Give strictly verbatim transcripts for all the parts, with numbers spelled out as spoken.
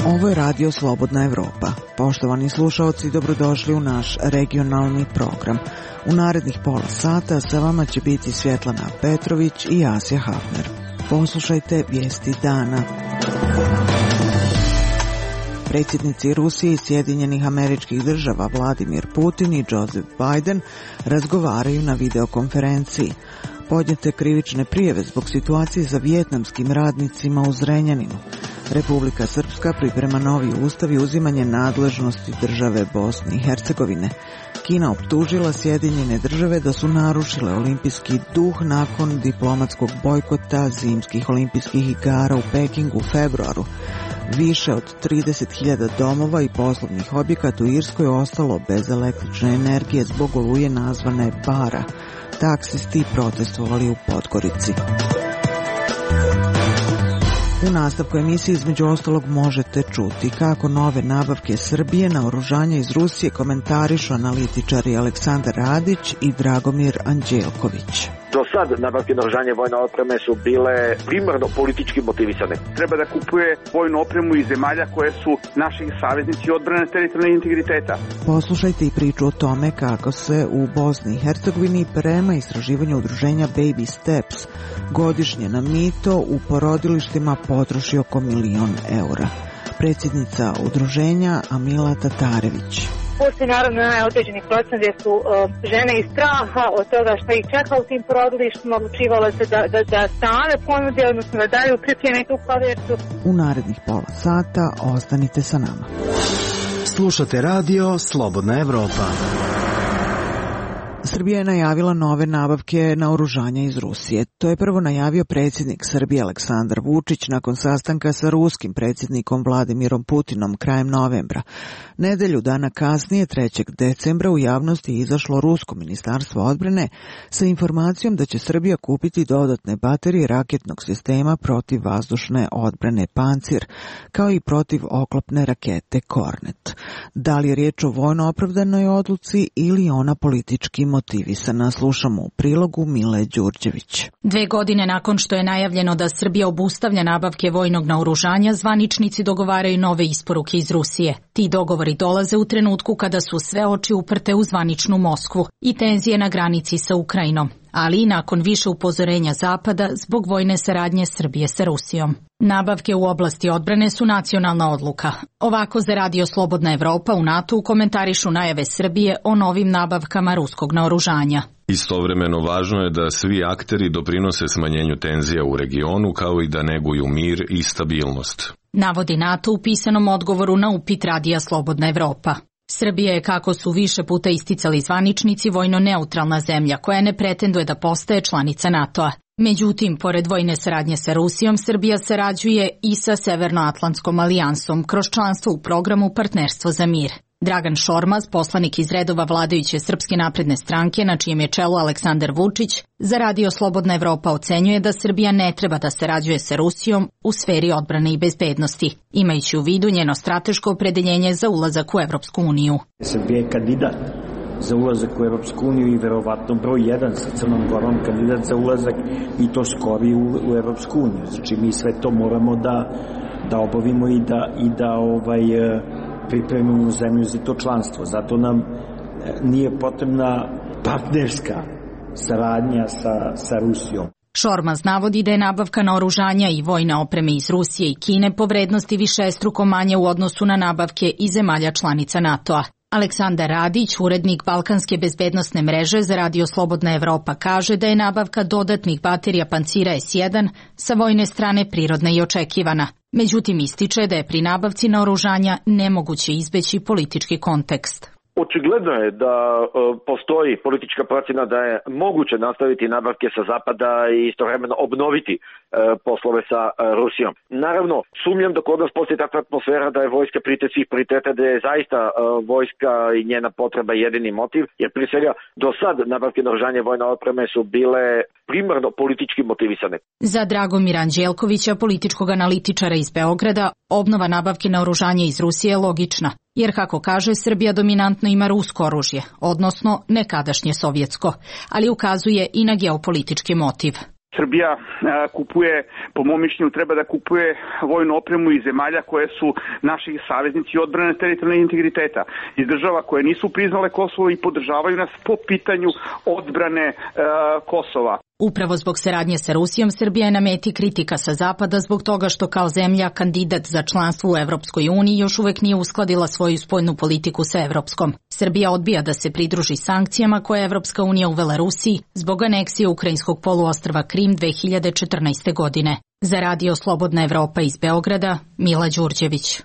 Ovo je Radio Slobodna Evropa. Poštovani slušaoci, dobrodošli u naš regionalni program. U narednih pola sata sa vama će biti Svjetlana Petrović i Asja Hafner. Poslušajte vijesti dana. Predsjednici Rusije i Sjedinjenih Američkih Država Vladimir Putin i Joseph Biden razgovaraju na videokonferenciji. Podnijete krivične prijave zbog situacije sa vijetnamskim radnicima u Zrenjaninu. Republika Srpska priprema novi ustav i uzimanje nadležnosti države Bosne i Hercegovine. Kina optužila Sjedinjene Države da su narušile olimpijski duh nakon diplomatskog bojkota zimskih olimpijskih igara u Pekingu u februaru. Više od trideset hiljada domova i poslovnih objekata u Irskoj ostalo bez električne energije zbog oluje nazvane Bara. Taksisti protestovali u Podgorici. U nastavku emisije između ostalog možete čuti kako nove nabavke Srbije naoružanja iz Rusije komentarišu analitičari Aleksandar Radić i Dragomir Anđelković. Do sad nabavke naoružanja i vojne opreme su bile primarno politički motivisane. Treba da kupuje vojnu opremu iz zemalja koje su naši saveznici odbrane teritorijalnog integriteta. Poslušajte i priču o tome kako se u Bosni i Hercegovini prema istraživanju udruženja Baby Steps godišnje na mito u porodilištima potroši oko milion eura. Predsjednica udruženja Amila Tatarević. Postoji naravno određeni procent gdje su uh, žene iz straha od toga što ih čeka u tim porodilištima odlučivale se da, da, da same ponude, odnosno da daju pripreme tu kovertu. U narednih pola sata ostanite sa nama. Slušate radio Slobodna Evropa. Srbija je najavila nove nabavke naoružanja iz Rusije. To je prvo najavio predsjednik Srbije Aleksandar Vučić nakon sastanka sa ruskim predsjednikom Vladimirom Putinom krajem novembra. Nedelju dana kasnije, trećeg decembra, u javnosti je izašlo rusko ministarstvo odbrane sa informacijom da će Srbija kupiti dodatne baterije raketnog sistema protiv vazdušne odbrane Pancir, kao i protiv oklopne rakete Kornet. Da li je riječ o vojno opravdanoj odluci ili ona politički motivisana, slušamo u prilogu Mile Đurđević. Dve godine nakon što je najavljeno da Srbija obustavlja nabavke vojnog naoružanja, zvaničnici dogovaraju nove isporuke iz Rusije. Ti dogovori dolaze u trenutku kada su sve oči uprte u zvaničnu Moskvu i tenzije na granici sa Ukrajinom, ali i nakon više upozorenja Zapada zbog vojne saradnje Srbije sa Rusijom. Nabavke u oblasti odbrane su nacionalna odluka. Ovako za Radio Slobodna Evropa u NATO komentarišu najave Srbije o novim nabavkama ruskog naoružanja. Istovremeno važno je da svi akteri doprinose smanjenju tenzija u regionu kao i da neguju mir i stabilnost. Navodi NATO u pisanom odgovoru na upit Radija Slobodna Evropa. Srbija je, kako su više puta isticali zvaničnici, vojno neutralna zemlja koja ne pretenduje da postaje članica NATO-a. Međutim, pored vojne saradnje sa Rusijom, Srbija sarađuje i sa Severnoatlantskom alijansom kroz članstvo u programu Partnerstvo za mir. Dragan Šormaz, poslanik iz redova vladajuće Srpske napredne stranke, na čijem je čelu Aleksandar Vučić, za Radio Slobodna Evropa ocenjuje da Srbija ne treba da sarađuje sa Rusijom u sferi odbrane i bezbednosti, imajući u vidu njeno strateško opredeljenje za ulazak u Evropsku uniju. Srbija je kandidat za ulazak u Evropsku uniju i verovatno broj jedan sa Crnom Gorom kandidat za ulazak i to skori u, u Evropsku uniju. Znači mi sve to moramo da, da obavimo i da, i da ovaj, pripremimo zemlju za to članstvo. Zato nam nije potrebna partnerska saradnja sa, sa Rusijom. Šormaz navodi da je nabavka naoružanja i vojne opreme iz Rusije i Kine po vrednosti višestruko manje u odnosu na nabavke iz zemalja članica NATO-a. Aleksandar Radić, urednik Balkanske bezbednosne mreže za Radio Slobodna Evropa, kaže da je nabavka dodatnih baterija Pancira es jedan sa vojne strane prirodna i očekivana. Međutim, ističe da je pri nabavci naoružanja nemoguće izbeći politički kontekst. Očigledno je da e, postoji politička procjena da je moguće nastaviti nabavke sa zapada i istovremeno obnoviti e, poslove sa e, Rusijom. Naravno, sumnjam da kod nas postoji takva atmosfera da je vojska prioritet svih prioriteta, da je zaista e, vojska i njena potreba jedini motiv, jer prije svega do sad nabavke naoružanja i vojne opreme su bile primarno politički motivisane. Za Dragomira Anđelkovića, političkog analitičara iz Beograda, obnova nabavke naoružanja iz Rusije je logična, jer kako kaže, Srbija dominantno ima rusko oružje, odnosno nekadašnje sovjetsko, ali ukazuje i na geopolitički motiv. Srbija a, kupuje, po mom mišljenju, treba da kupuje vojnu opremu iz zemalja koje su naši saveznici odbrane teritorijalnog integriteta, iz država koje nisu priznale Kosovo i podržavaju nas po pitanju odbrane a, Kosova. Upravo zbog saradnje sa Rusijom, Srbija je na meti kritika sa zapada zbog toga što kao zemlja kandidat za članstvo u Evropskoj uniji još uvek nije uskladila svoju spoljnu politiku sa evropskom. Srbija odbija da se pridruži sankcijama koje je Evropska unija uvela Rusiji zbog aneksije ukrajinskog poluostrva Krim dve hiljade četrnaeste. godine. Za Radio Slobodna Evropa iz Beograda, Mila Đurđević.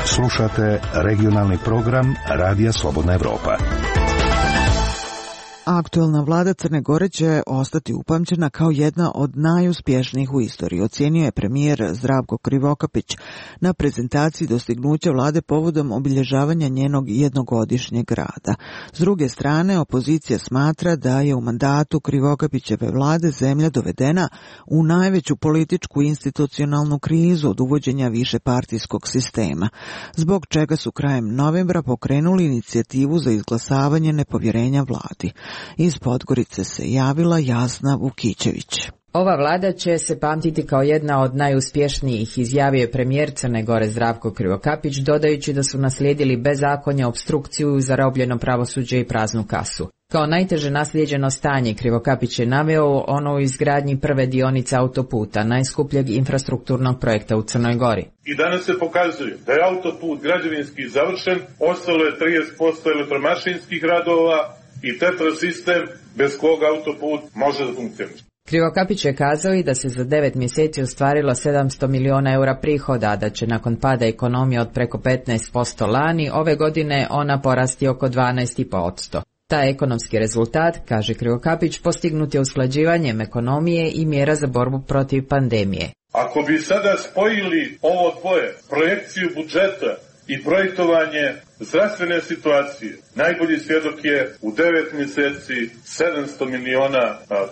Slušate regionalni program Radija Slobodna Evropa. Aktuelna vlada Crne Gore će ostati upamćena kao jedna od najuspješnijih u istoriji, ocijenio je premijer Zdravko Krivokapić na prezentaciji dostignuća vlade povodom obilježavanja njenog jednogodišnjeg rada. S druge strane, opozicija smatra da je u mandatu Krivokapićeve vlade zemlja dovedena u najveću političku institucionalnu krizu od uvođenja višepartijskog sistema, zbog čega su krajem novembra pokrenuli inicijativu za izglasavanje nepovjerenja vladi. Iz Podgorice se javila Jasna Vukićević. Ova vlada će se pamtiti kao jedna od najuspješnijih, izjavio je premijer Crne Gore Zdravko Krivokapić, dodajući da su naslijedili bezakonje, opstrukciju, zarobljeno pravosuđe i praznu kasu. Kao najteže naslijeđeno stanje Krivokapić je naveo ono u izgradnji prve dionice autoputa, najskupljeg infrastrukturnog projekta u Crnoj Gori. I danas se pokazuje da je autoput građevinski završen, ostalo je trideset posto elektromašinskih radova i tetrasistem bez koga autoput može da funkcioniše. Krivokapić je kazao i da se za devet mjeseci ostvarilo sedamsto miliona eura prihoda, da će nakon pada ekonomije od preko petnaest posto lani, ove godine ona porasti oko dvanaest zarez pet posto. Taj ekonomski rezultat, kaže Krivokapić, postignut je usklađivanjem ekonomije i mjera za borbu protiv pandemije. Ako bi sada spojili ovo dvoje, projekciju budžeta i projektovanje zdravstvene situacije, najbolji svjedok je u devet mjeseci sedamsto miliona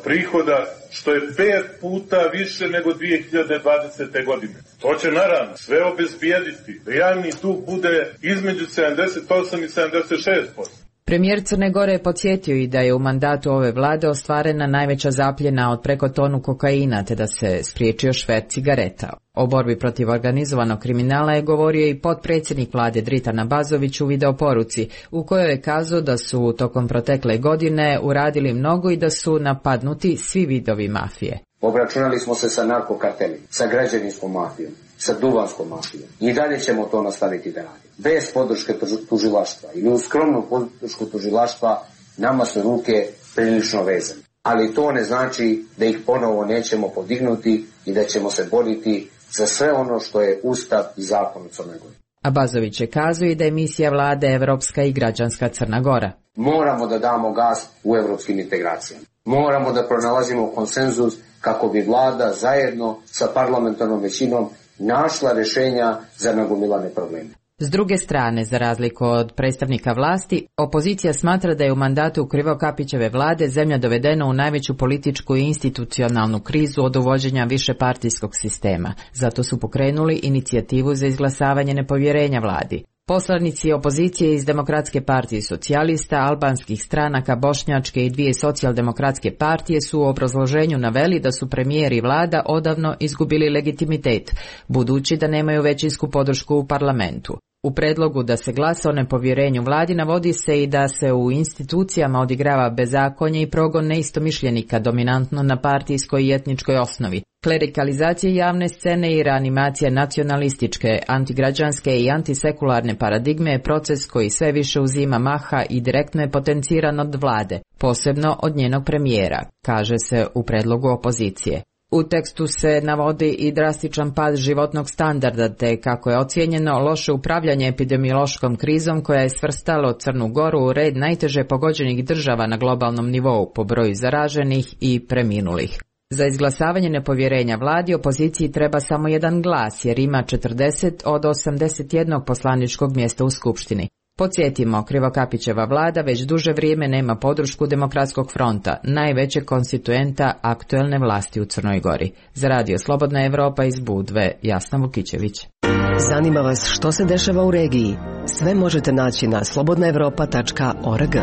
prihoda, što je pet puta više nego dvije hiljade dvadesete. godine. To će naravno sve obezbijediti da javni dug bude između sedamdeset osam i sedamdeset šest posto. Premijer Crne Gore je podsjetio i da je u mandatu ove vlade ostvarena najveća zapljena od preko tonu kokaina, te da se spriječio šverc cigareta. O borbi protiv organizovanog kriminala je govorio i potpredsjednik vlade Dritan Abazović u videoporuci, u kojoj je kazao da su tokom protekle godine uradili mnogo i da su napadnuti svi vidovi mafije. Obračunali smo se sa narkokartelima, sa građevinskom mafijom, sa duvanskom mafijom. I dalje ćemo to nastaviti da radimo. Bez podrške tužilaštva ili uz skromnu podršku tužilaštva nama su ruke prilično vezane. Ali to ne znači da ih ponovo nećemo podignuti i da ćemo se boriti za sve ono što je Ustav i zakon u Crnoj Gori. Abazović je kazao i da je misija vlade Evropska i građanska Crna Gora. Moramo da damo gas u evropskim integracijama. Moramo da pronalazimo konsenzus kako bi vlada zajedno sa parlamentarnom većinom našla rješenja za nagomilane probleme. S druge strane, za razliku od predstavnika vlasti, opozicija smatra da je u mandatu Krivokapićeve vlade zemlja dovedena u najveću političku i institucionalnu krizu od uvođenja višepartijskog sistema. Zato su pokrenuli inicijativu za izglasavanje nepovjerenja vladi. Poslanici opozicije iz Demokratske partije socijalista, albanskih stranaka, bošnjačke i dvije socijaldemokratske partije su u obrazloženju naveli da su premijer i vlada odavno izgubili legitimitet, budući da nemaju većinsku podršku u parlamentu. U predlogu da se glasa o nepovjerenju vladi navodi se i da se u institucijama odigrava bezakonje i progon neistomišljenika dominantno na partijskoj i etničkoj osnovi. Klerikalizacija javne scene i reanimacija nacionalističke, antigrađanske i antisekularne paradigme je proces koji sve više uzima maha i direktno je potenciran od vlade, posebno od njenog premijera, kaže se u predlogu opozicije. U tekstu se navodi i drastičan pad životnog standarda, te kako je ocijenjeno loše upravljanje epidemiološkom krizom koja je svrstalo Crnu Goru u red najteže pogođenih država na globalnom nivou po broju zaraženih i preminulih. Za izglasavanje nepovjerenja vladi opoziciji treba samo jedan glas jer ima četrdeset od osamdeset jednog poslaničkog mjesta u Skupštini. Podsjetimo, Krivokapićeva vlada već duže vrijeme nema podršku Demokratskog fronta, najvećeg konstituenta aktuelne vlasti u Crnoj Gori. Za Radio Slobodna Evropa iz Budve, Jasna Vukićević. Zanima vas što se dešava u regiji? Sve možete naći na slobodna evropa tačka org.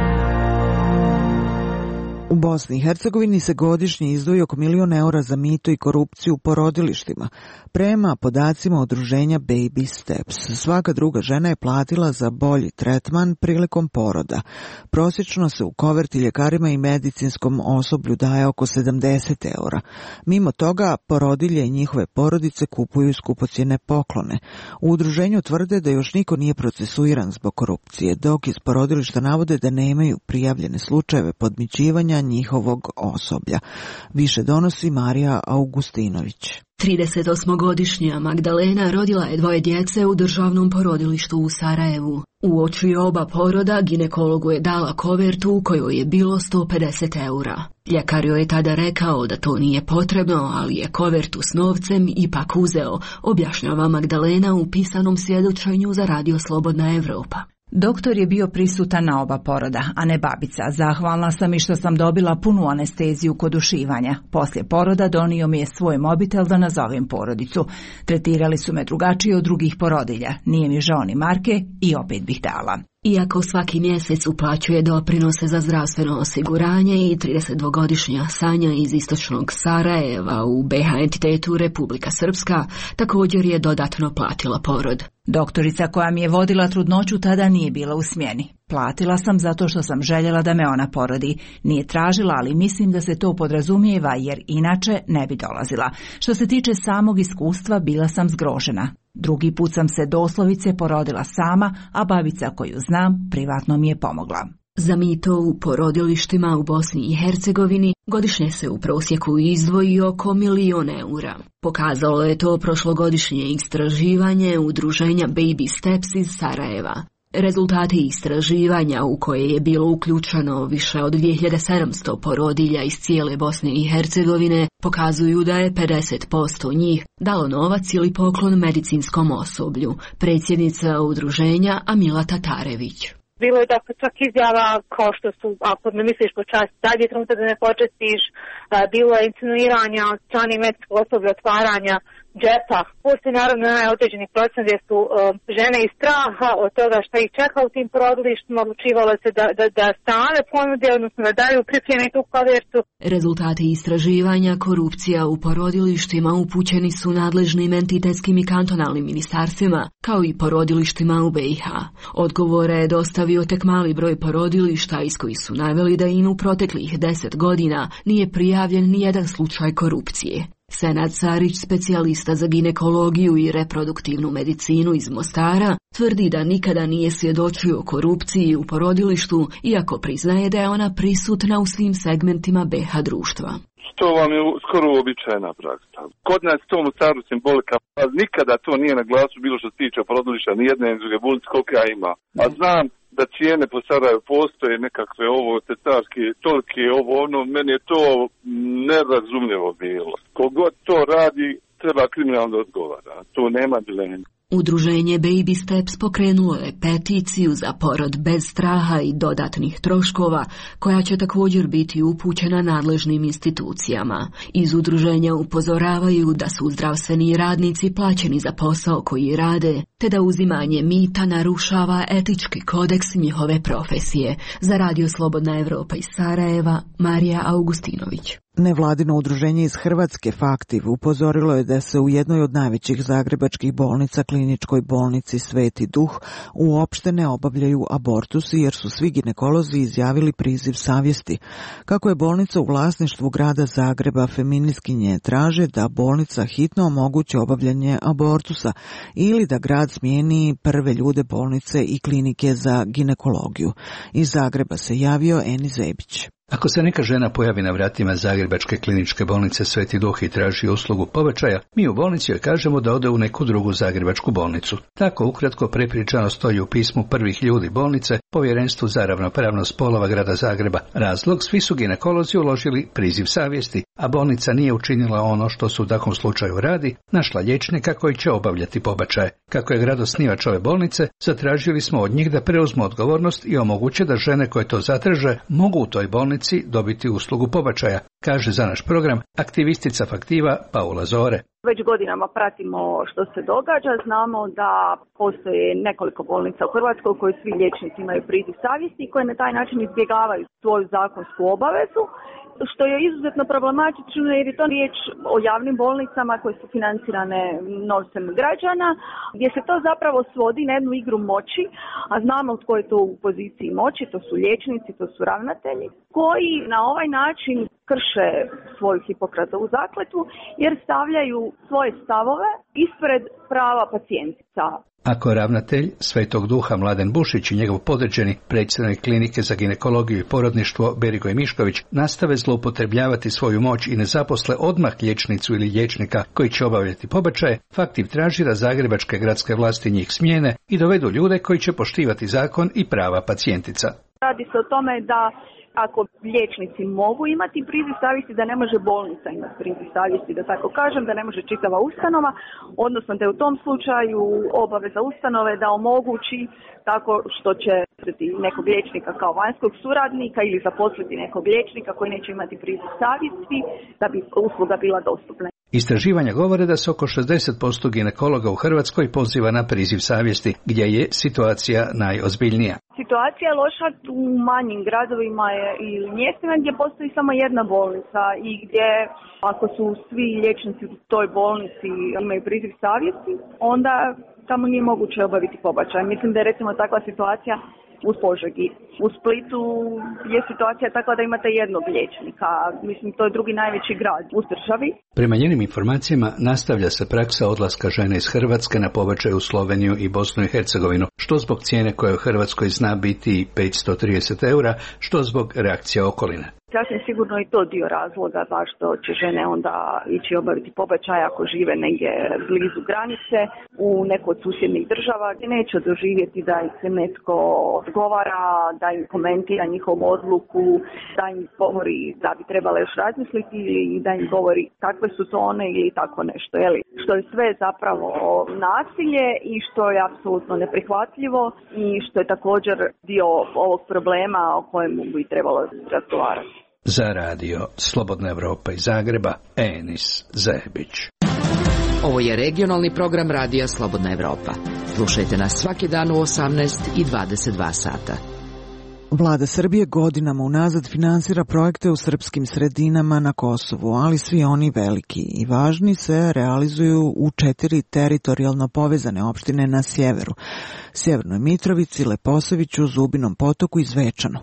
U Bosni i Hercegovini se godišnje izdvoji oko milion eura za mito i korupciju u porodilištima. Prema podacima udruženja Baby Steps, svaka druga žena je platila za bolji tretman prilikom poroda. Prosječno se u koverti ljekarima i medicinskom osoblju daje oko sedamdeset eura. Mimo toga, porodilje i njihove porodice kupuju skupocjene poklone. U udruženju tvrde da još niko nije procesuiran zbog korupcije, dok iz porodilišta navode da nemaju prijavljene slučajeve podmićivanja njihovog osoblja. Više donosi Marija Augustinović. tridesetosmogodišnja Magdalena rodila je dvoje djece u državnom porodilištu u Sarajevu. Uoči oba poroda ginekologu je dala kovertu u kojoj je bilo sto pedeset eura. Ljekar joj je tada rekao da to nije potrebno, ali je kovertu s novcem ipak uzeo, objašnjava Magdalena u pisanom svjedočenju za Radio Slobodna Evropa. Doktor je bio prisutan na oba poroda, a ne babica. Zahvalna sam i što sam dobila punu anesteziju kod ušivanja. Poslije poroda donio mi je svoj mobitel da nazovem porodicu. Tretirali su me drugačije od drugih porodilja. Nije mi žao ni marke i opet bih dala. Iako svaki mjesec uplaćuje doprinose za zdravstveno osiguranje i tridesetdvogodišnja Sanja iz istočnog Sarajeva u be ha entitetu Republika Srpska također je dodatno platila porod. Doktorica koja mi je vodila trudnoću tada nije bila u smjeni. Platila sam zato što sam željela da me ona porodi. Nije tražila, ali mislim da se to podrazumijeva jer inače ne bi dolazila. Što se tiče samog iskustva, bila sam zgrožena. Drugi put sam se doslovice porodila sama, a babica koju znam privatno mi je pomogla. Za mito u porodilištima u Bosni i Hercegovini godišnje se u prosjeku izdvoji oko milion eura. Pokazalo je to prošlogodišnje istraživanje udruženja Baby Steps iz Sarajeva. Rezultati istraživanja u koje je bilo uključeno više od dvije hiljade sedamsto porodilja iz cijele Bosne i Hercegovine pokazuju da je pedeset posto njih dalo novac ili poklon medicinskom osoblju, predsjednica udruženja Amila Tatarević. Bilo je dakle čak izjava kao što su, ako ne misliš počasti, sad je trenutak da ne počestiš, bilo je insinuiranja od strane medicinskog osoblja otvaranja džepa. Postoji naravno onaj određeni procent gdje su uh, žene iz straha od toga šta ih čeka u tim porodilištima odlučivale se da, da, da same ponude, odnosno da daju pripreme tu kovertu. Rezultati istraživanja korupcija u porodilištima upućeni su nadležnim entitetskim i kantonalnim ministarstvima, kao i porodilištima u be i ha. Odgovore je dostavio tek mali broj porodilišta iz kojih su naveli da im u proteklih deset godina nije prijavljen ni jedan slučaj korupcije. Senad Sarić, specijalista za ginekologiju i reproduktivnu medicinu iz Mostara, tvrdi da nikada nije svjedočio korupciji u porodilištu, iako priznaje da je ona prisutna u svim segmentima be ha društva. To vam je skoro uobičajena praksa. Kod nas to u Mostaru simbolika, a nikada to nije na glasu bilo što se tiče porodilišta, ni jedne ni druge bolnice koliko ja ima. A znam da cijene po Sarajevu postoje nekakve ovo cesarske, tolike ovo ono, meni je to nerazumljivo bilo. Kogod to radi, treba kriminalno odgovara. To nema dileme. Udruženje Baby Steps pokrenulo je peticiju za porod bez straha i dodatnih troškova, koja će također biti upućena nadležnim institucijama. Iz udruženja upozoravaju da su zdravstveni radnici plaćeni za posao koji rade, te da uzimanje mita narušava etički kodeks njihove profesije. Za Radio Slobodna Evropa iz Sarajeva, Marija Augustinović. Nevladino udruženje iz Hrvatske Faktiv upozorilo je da se u jednoj od najvećih zagrebačkih bolnica, kliničkoj bolnici Sveti Duh, uopšte ne obavljaju abortusi jer su svi ginekolozi izjavili priziv savjesti. Kako je bolnica u vlasništvu grada Zagreba, feministkinje traže da bolnica hitno omogući obavljanje abortusa ili da grad smijeni prve ljude bolnice i klinike za ginekologiju. Iz Zagreba se javio Eni Zebić. Ako se neka žena pojavi na vratima Zagrebačke kliničke bolnice Sveti Duh i traži uslugu pobačaja, mi u bolnici joj kažemo da ode u neku drugu zagrebačku bolnicu. Tako ukratko prepričano stoji u pismu prvih ljudi bolnice Povjerenstvu za ravnopravnost spolova grada Zagreba. Razlog, svi su ginekolozi uložili priziv savjesti, a bolnica nije učinila ono što su u takvom slučaju radi, našla liječnika koji će obavljati pobačaje. Kako je grad osnivač ove bolnice, zatražili smo od njih da preuzmu odgovornost i omoguće da žene koje to zatraže mogu u toj bolnici dobiti uslugu pobačaja, kaže za naš program aktivistica Faktiva Paula Zore. Već godinama pratimo što se događa, znamo da postoje nekoliko bolnica u Hrvatskoj u kojoj svi liječnici imaju priziv savjesti i koje na taj način izbjegavaju svoju zakonsku obavezu, što je izuzetno problematično jer je to riječ o javnim bolnicama koje su financirane novcem građana, gdje se to zapravo svodi na jednu igru moći, a znamo tko je to u poziciji moći, to su liječnici, to su ravnatelji, koji na ovaj način krše svoju Hipokratovu zakletvu jer stavljaju svoje stavove ispred prava pacijentica. Ako ravnatelj Svetog Duha Mladen Bušić i njegov podređeni predsjednik klinike za ginekologiju i porodništvo Berigoj Mišković nastave zloupotrebljavati svoju moć i ne zaposle odmah liječnicu ili liječnika koji će obavljati pobačaje, Faktiv traži da zagrebačke gradske vlasti njih smijene i dovedu ljude koji će poštivati zakon i prava pacijentica. Radi se o tome da ako liječnici mogu imati priziv savjesti, da ne može bolnica imati priziv savjesti, da tako kažem, da ne može čitava ustanova, odnosno da je u tom slučaju obaveza ustanove da omogući tako što će nekog liječnika kao vanjskog suradnika ili zaposliti nekog liječnika koji neće imati priziv savjesti da bi usluga bila dostupna. Istraživanja govore da se oko šezdeset posto ginekologa u Hrvatskoj poziva na priziv savjesti, gdje je situacija najozbiljnija. Situacija je loša u manjim gradovima ili mjestima gdje postoji samo jedna bolnica i gdje ako su svi liječnici u toj bolnici imaju priziv savjesti, onda tamo nije moguće obaviti pobačaj. Mislim da je recimo takva situacija u Požegi. U Splitu je situacija takva da imate jednog liječnika. Mislim, to je drugi najveći grad u državi. Prema njenim informacijama nastavlja se praksa odlaska žene iz Hrvatske na pobačaj u Sloveniju i Bosnu i Hercegovinu, što zbog cijene koja u Hrvatskoj zna biti petsto trideset eura, što zbog reakcija okoline. Sasvim sigurno i to dio razloga zašto će žene onda ići obaviti pobačaj ako žive negdje blizu granice u nekoj od susjednih država gdje neće doživjeti da ih se netko odgovara, da im komentira njihovu odluku, da im govori da bi trebala još razmisliti ili da im govori kakve su to one ili tako nešto. Jeli? Što je sve zapravo nasilje i što je apsolutno neprihvatljivo i što je također dio ovog problema o kojemu bi trebalo razgovarati. Za radio Slobodna Evropa iz Zagreba, Enis Zebić. Ovo je regionalni program radija Slobodna Evropa. Slušajte nas svaki dan u osamnaest i dvadeset dva sata. Vlada Srbije godinama unazad finansira projekte u srpskim sredinama na Kosovu, ali svi oni veliki i važni se realizuju u četiri teritorijalno povezane opštine na sjeveru: Sjevernoj Mitrovici, Leposaviću, Zubinom Potoku i Zvečanu.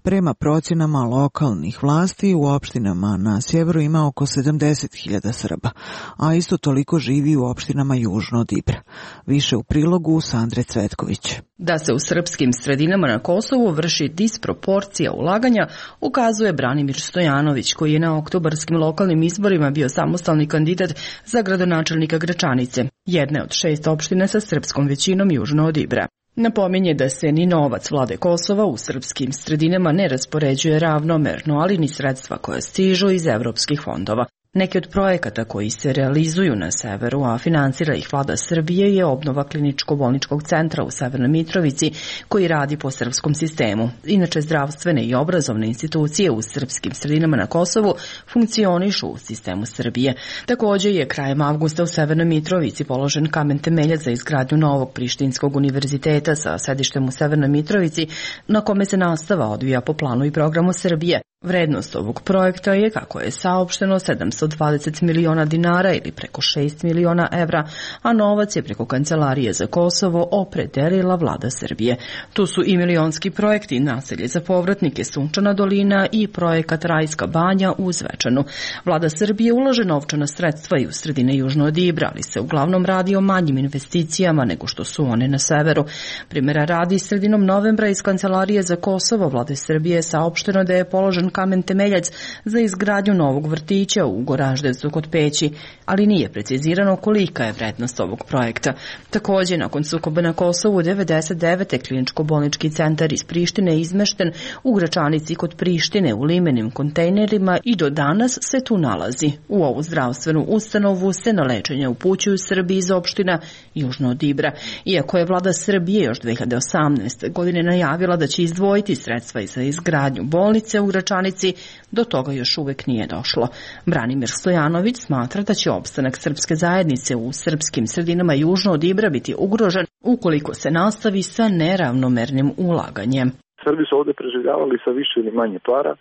Prema procjenama lokalnih vlasti u opštinama na sjeveru ima oko sedamdeset hiljada Srba, a isto toliko živi u opštinama južno od Ibra. Više u prilogu Sandre Cvetković. Da se u srpskim sredinama na Kosovu vrši disproporcija ulaganja, ukazuje Branimir Stojanović, koji je na oktobarskim lokalnim izborima bio samostalni kandidat za gradonačelnika Gračanice, jedne od šest opština sa srpskom većinom južno od Ibra. Napominje da se ni novac vlade Kosova u srpskim sredinama ne raspoređuje ravnomerno, ali ni sredstva koja stižu iz evropskih fondova. Neki od projekata koji se realizuju na severu, a finansira ih vlada Srbije, je obnova kliničko-bolničkog centra u Severnoj Mitrovici, koji radi po srpskom sistemu. Inače, zdravstvene i obrazovne institucije u srpskim sredinama na Kosovu funkcionišu u sistemu Srbije. Također je krajem avgusta u Severnoj Mitrovici položen kamen temeljac za izgradnju novog Prištinskog univerziteta sa sedištem u Severnoj Mitrovici, na kome se nastava odvija po planu i programu Srbije. Vrednost ovog projekta je, kako je saopšteno, sedamsto dvadeset miliona dinara ili preko šest miliona evra, a novac je preko Kancelarije za Kosovo opredelila vlada Srbije. Tu su i milionski projekti naselje za povratnike Sunčana dolina i projekat Rajska banja u Zvečanu. Vlada Srbije ulaže novčana sredstva i u sredine južno od Ibra, ali se uglavnom radi o manjim investicijama nego što su one na severu. Primjera radi, sredinom novembra iz Kancelarije za Kosovo vlade Srbije je saopšteno da je položen položen kamen temeljac za izgradnju novog vrtića u Goraždevcu kod Peći, ali nije precizirano kolika je vrednost ovog projekta. Također, nakon sukoba na Kosovu, devedeset devete kliničko-bolnički centar iz Prištine izmešten u Gračanici kod Prištine u limenim kontejnerima i do danas se tu nalazi. U ovu zdravstvenu ustanovu se na lečenje upućuju Srbi iz opština južno od Ibra. Iako je vlada Srbije još dve hiljade osamnaeste. godine najavila da će izdvojiti sredstva za izgradnju bolnice u Gračanici, do toga još uvek nije došlo. Branimir Stojanović smatra da će opstanak srpske zajednice u srpskim sredinama južno od Ibra biti ugrožen ukoliko se nastavi sa neravnomernim ulaganjem. Srbi su ovde preživljavali sa više ili manje para,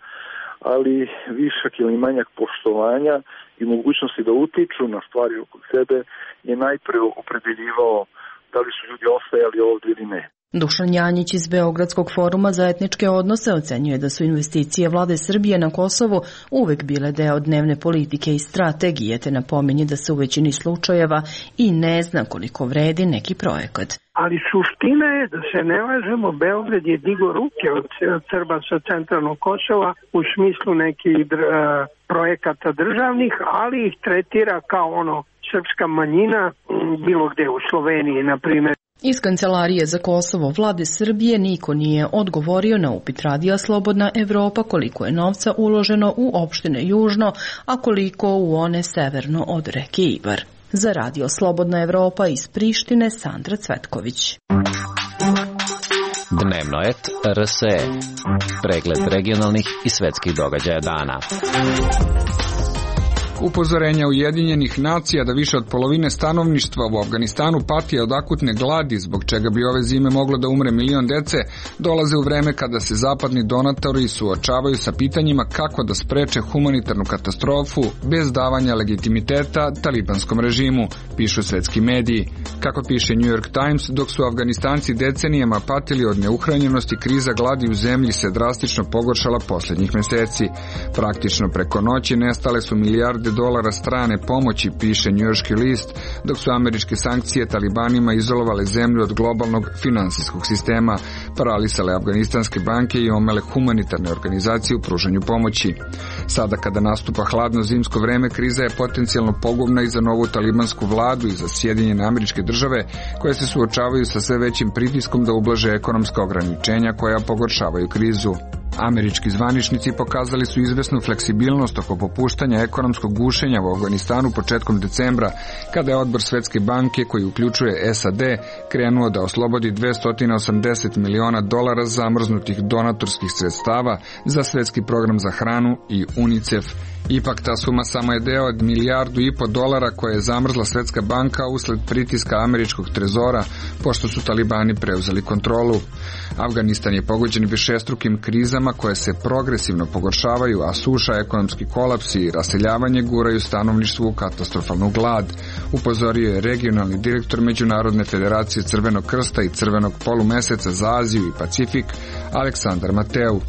ali višak ili manjak poštovanja i mogućnosti da utiču na stvari oko sebe je najpre opredeljivao da li su ljudi ostajali ovde ili ne. Dušan Janjić iz Beogradskog foruma za etničke odnose ocenjuje da su investicije vlade Srbije na Kosovu uvek bile deo dnevne politike i strategije, te napominje da se u većini slučajeva i ne zna koliko vredi neki projekat. Ali suština je da se ne lažemo, Beograd je digo ruke od Srba sa centralnog Kosova u smislu nekih projekata državnih, ali ih tretira kao ono srpska manjina bilo gde u Sloveniji, na primjer. Iz Kancelarije za Kosovo vlade Srbije niko nije odgovorio na upit Radija Slobodna Evropa koliko je novca uloženo u opštine južno, a koliko u one severno od reke Ibar. Za Radio Slobodna Evropa iz Prištine, Sandra Cvetković. Dnevno et R S E. Pregled regionalnih i svetskih događaja dana. Upozorenja Ujedinjenih nacija da više od polovine stanovništva u Afganistanu pati od akutne gladi, zbog čega bi ove zime moglo da umre milion dece, dolaze u vreme kada se zapadni donatori suočavaju sa pitanjima kako da spreče humanitarnu katastrofu bez davanja legitimiteta talibanskom režimu, pišu svetski mediji. Kako piše New York Times, dok su Afganistanci decenijama patili od neuhranjenosti, kriza gladi u zemlji se drastično pogoršala posljednjih meseci. Praktično preko noći nestale su milijarde dolara strane pomoći, piše njujorški list, dok su američke sankcije talibanima izolovale zemlju od globalnog finansijskog sistema, paralisale afganistanske banke i omele humanitarne organizacije u pružanju pomoći. Sada kada nastupa hladno zimsko vreme, kriza je potencijalno pogubna i za novu talibansku vladu i za Sjedinjene Američke Države, koje se suočavaju sa sve većim pritiskom da ublaže ekonomska ograničenja koja pogoršavaju krizu. Američki zvaničnici pokazali su izvesnu fleksibilnost oko popuštanja ekonomskog gušenja u Afganistanu početkom decembra, kada je odbor Svetske banke, koji uključuje S A D, krenuo da oslobodi dvesta osamdeset miliona dolara zamrznutih donatorskih sredstava za Svetski program za hranu i UNICEF. Ipak ta suma samo je deo od milijardu i po dolara koje je zamrzla Svetska banka usled pritiska američkog trezora, pošto su talibani preuzeli kontrolu. Afganistan je pogođen višestrukim krizama koje se progresivno pogoršavaju, a suša, ekonomski kolaps i raseljavanje guraju stanovništvu u katastrofalnu glad, upozorio je regionalni direktor Međunarodne federacije Crvenog krsta i Crvenog polumeseca za Aziju i Pacifik, Aleksandar Mateu.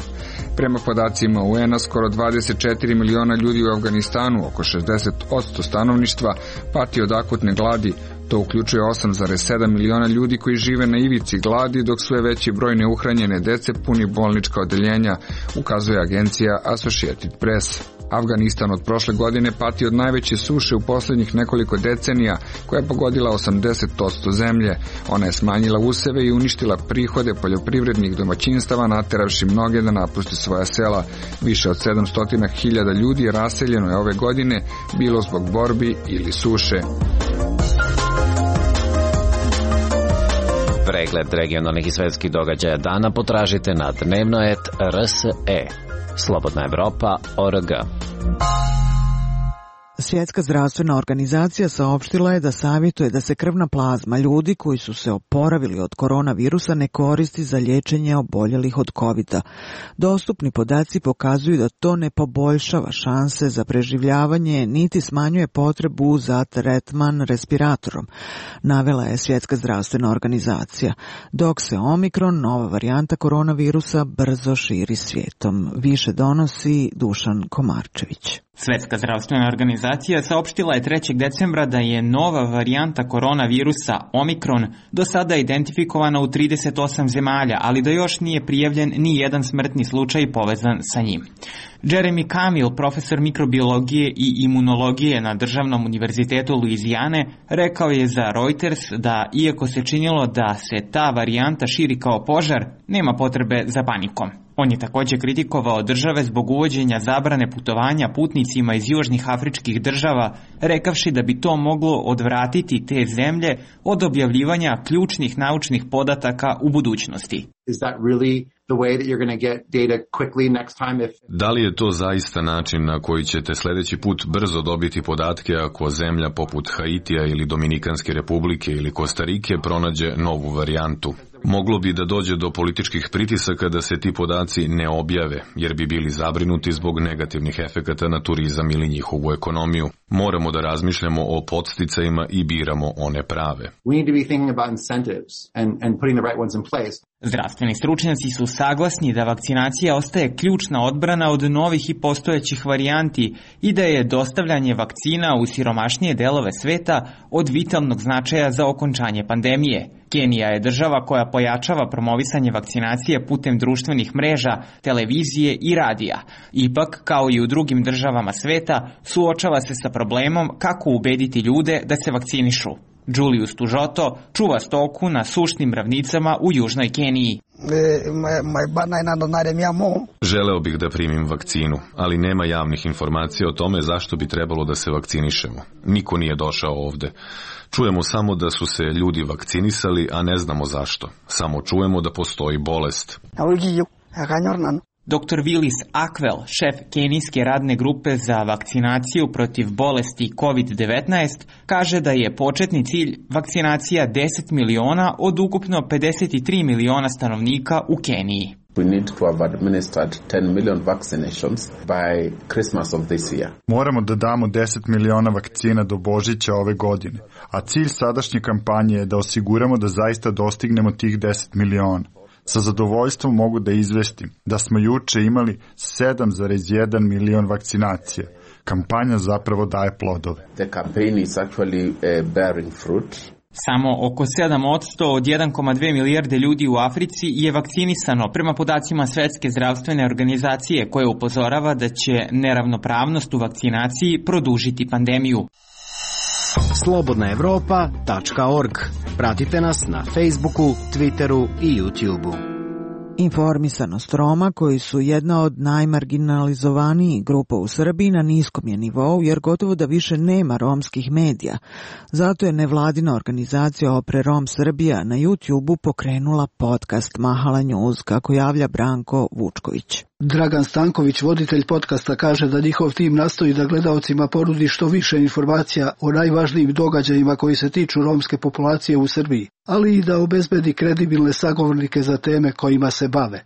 Prema podacima U N-a, skoro dvadeset četiri miliona ljudi u Afganistanu, oko šezdeset posto stanovništva, pati od akutne gladi. To uključuje osam zarez sedam miliona ljudi koji žive na ivici gladi, dok sve veći broj neuhranjene dece puni bolnička odeljenja, ukazuje agencija Associated Press. Afganistan od prošle godine pati od najveće suše u posljednjih nekoliko decenija, koja je pogodila osamdeset posto zemlje. Ona je smanjila useve i uništila prihode poljoprivrednih domaćinstava, nateravši mnoge da napuste svoja sela. Više od sedamsto hiljada ljudi raseljeno je ove godine, bilo zbog borbi ili suše. Pregled regionalnih i svetskih događaja dana potražite na dnevno et R S E. Slobodna Evropa точка org. Svjetska zdravstvena organizacija saopštila je da savjetuje da se krvna plazma ljudi koji su se oporavili od koronavirusa ne koristi za liječenje oboljelih od kovida. Dostupni podaci pokazuju da to ne poboljšava šanse za preživljavanje niti smanjuje potrebu za tretman respiratorom, navela je Svjetska zdravstvena organizacija, dok se Omikron, nova varijanta koronavirusa, brzo širi svijetom. Više donosi Dušan Komarčević. Svetska zdravstvena organizacija saopštila je trećeg decembra da je nova varijanta koronavirusa Omikron do sada identifikovana u trideset osam zemalja, ali da još nije prijavljen ni jedan smrtni slučaj povezan sa njim. Jeremy Camille, profesor mikrobiologije i imunologije na Državnom univerzitetu Luizijane, rekao je za Reuters da, iako se činilo da se ta varijanta širi kao požar, nema potrebe za panikom. On je također kritikovao države zbog uvođenja zabrane putovanja putnicima iz južnih afričkih država, rekavši da bi to moglo odvratiti te zemlje od objavljivanja ključnih naučnih podataka u budućnosti. Da li je to zaista način na koji ćete sljedeći put brzo dobiti podatke ako zemlja poput Haitija ili Dominikanske republike ili Kostarike pronađe novu varijantu? Moglo bi da dođe do političkih pritisaka da se ti podaci ne objave, jer bi bili zabrinuti zbog negativnih efekata na turizam ili njihovu ekonomiju. Moramo da razmišljamo o podsticajima i biramo one prave. Zdravstveni stručnjaci su saglasni da vakcinacija ostaje ključna odbrana od novih i postojećih varijanti i da je dostavljanje vakcina u siromašnije delove sveta od vitalnog značaja za okončanje pandemije. Kenija je država koja pojačava promovisanje vakcinacije putem društvenih mreža, televizije i radija. Ipak, kao i u drugim državama sveta, suočava se sa problemom kako ubediti ljude da se vakcinišu. Julius Tužoto čuva stoku na sušnim ravnicama u južnoj Keniji. Želeo bih da primim vakcinu, ali nema javnih informacija o tome zašto bi trebalo da se vakcinišemo. Niko nije došao ovde. Čujemo samo da su se ljudi vakcinisali, a ne znamo zašto. Samo čujemo da postoji bolest. doktor Willis Ackwell, šef kenijske radne grupe za vakcinaciju protiv bolesti kovid devetnaest, kaže da je početni cilj vakcinacija deset miliona od ukupno pedeset tri miliona stanovnika u Keniji. We need to have administered ten million vaccinations by Christmas of this year. Moramo da damo deset miliona vakcina do Božića ove godine, a cilj sadašnje kampanje je da osiguramo da zaista dostignemo tih deset miliona. Sa zadovoljstvom mogu da izvestim da smo juče imali sedam zarez jedan milion vakcinacija. Kampanja zapravo daje plodove. The campaign is actually uh, bearing fruit. Samo oko sedam posto od jedan zarez dve milijarde ljudi u Africi je vakcinisano prema podacima Svetske zdravstvene organizacije, koja upozorava da će neravnopravnost u vakcinaciji produžiti pandemiju. slobodna evropa tačka org. Pratite nas na Facebooku, Twitteru i YouTubeu. Informisanost Roma, koji su jedna od najmarginalizovanijih grupa u Srbiji, na niskom je nivou, jer gotovo da više nema romskih medija. Zato je nevladina organizacija Opre Rom Srbija na YouTubeu pokrenula podcast Mahala News, kako javlja Branko Vučković. Dragan Stanković, voditelj podcasta, kaže da njihov tim nastoji da gledaocima ponudi što više informacija o najvažnijim događajima koji se tiču romske populacije u Srbiji, ali i da obezbedi kredibilne sagovornike za teme kojima se bave.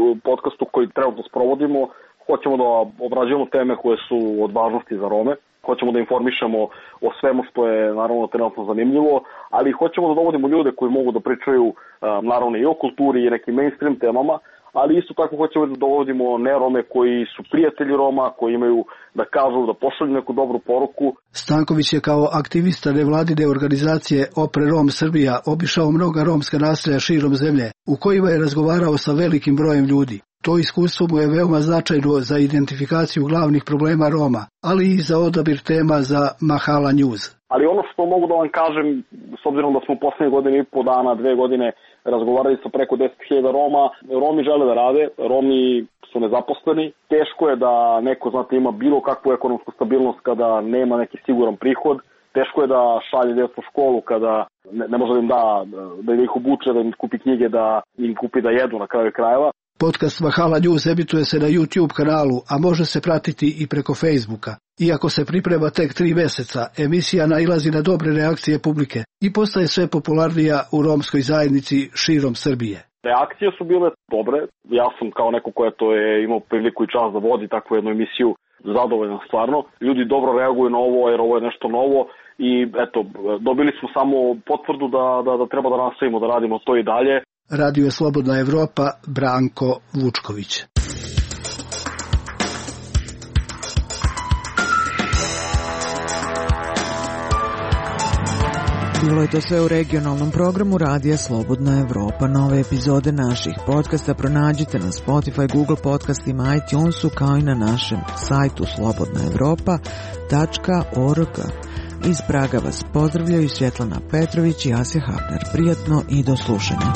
U podcastu koji trenutno sprovodimo, hoćemo da obrađujemo teme koje su od važnosti za Rome, hoćemo da informišemo o svemu što je naravno trenutno zanimljivo, ali hoćemo da dovodimo ljude koji mogu da pričaju naravno i o kulturi i nekim mainstream temama, ali isto tako hoćemo da dovodimo nerome koji su prijatelji Roma, koji imaju da kažu, da pošalju neku dobru poruku. Stanković je kao aktivista nevladine organizacije Opre Rom Srbija obišao mnoga romska naselja širom zemlje, u kojima je razgovarao sa velikim brojem ljudi. To iskustvo mu je veoma značajno za identifikaciju glavnih problema Roma, ali i za odabir tema za Mahala News. Ali ono što mogu da vam kažem, s obzirom da smo u poslednje godine i po dana, dve godine razgovarali sa preko deset hiljada Roma, Romi žele da rade, Romi su nezaposleni. Teško je da neko, znate, ima bilo kakvu ekonomsku stabilnost kada nema neki siguran prihod. Teško je da šalje djecu u školu kada ne, ne može da im da, da ih obuče, da im kupi knjige, da im kupi da jedu na kraju krajeva. Podcast Mahala News emituje se na YouTube kanalu, a može se pratiti i preko Facebooka. Iako se priprema tek tri meseca, emisija nailazi na dobre reakcije publike i postaje sve popularnija u romskoj zajednici širom Srbije. Reakcije su bile dobre. Ja sam kao neko ko je to je imao priliku i čas da vodi takvu jednu emisiju zadovoljan stvarno. Ljudi dobro reaguju na ovo jer ovo je nešto novo i eto, dobili smo samo potvrdu da, da, da treba da nastavimo da radimo to i dalje. Radio Slobodna Evropa, Branko Vučković. Bilo je to sve u regionalnom programu Radija Slobodna Evropa. Nove epizode naših podcasta pronađite na Spotify, Google podcastima, iTunesu, kao i na našem sajtu slobodna evropa tačka org. Iz Praga vas pozdravljaju Svjetlana Petrović i Asja Hafner. Prijatno i do slušanja.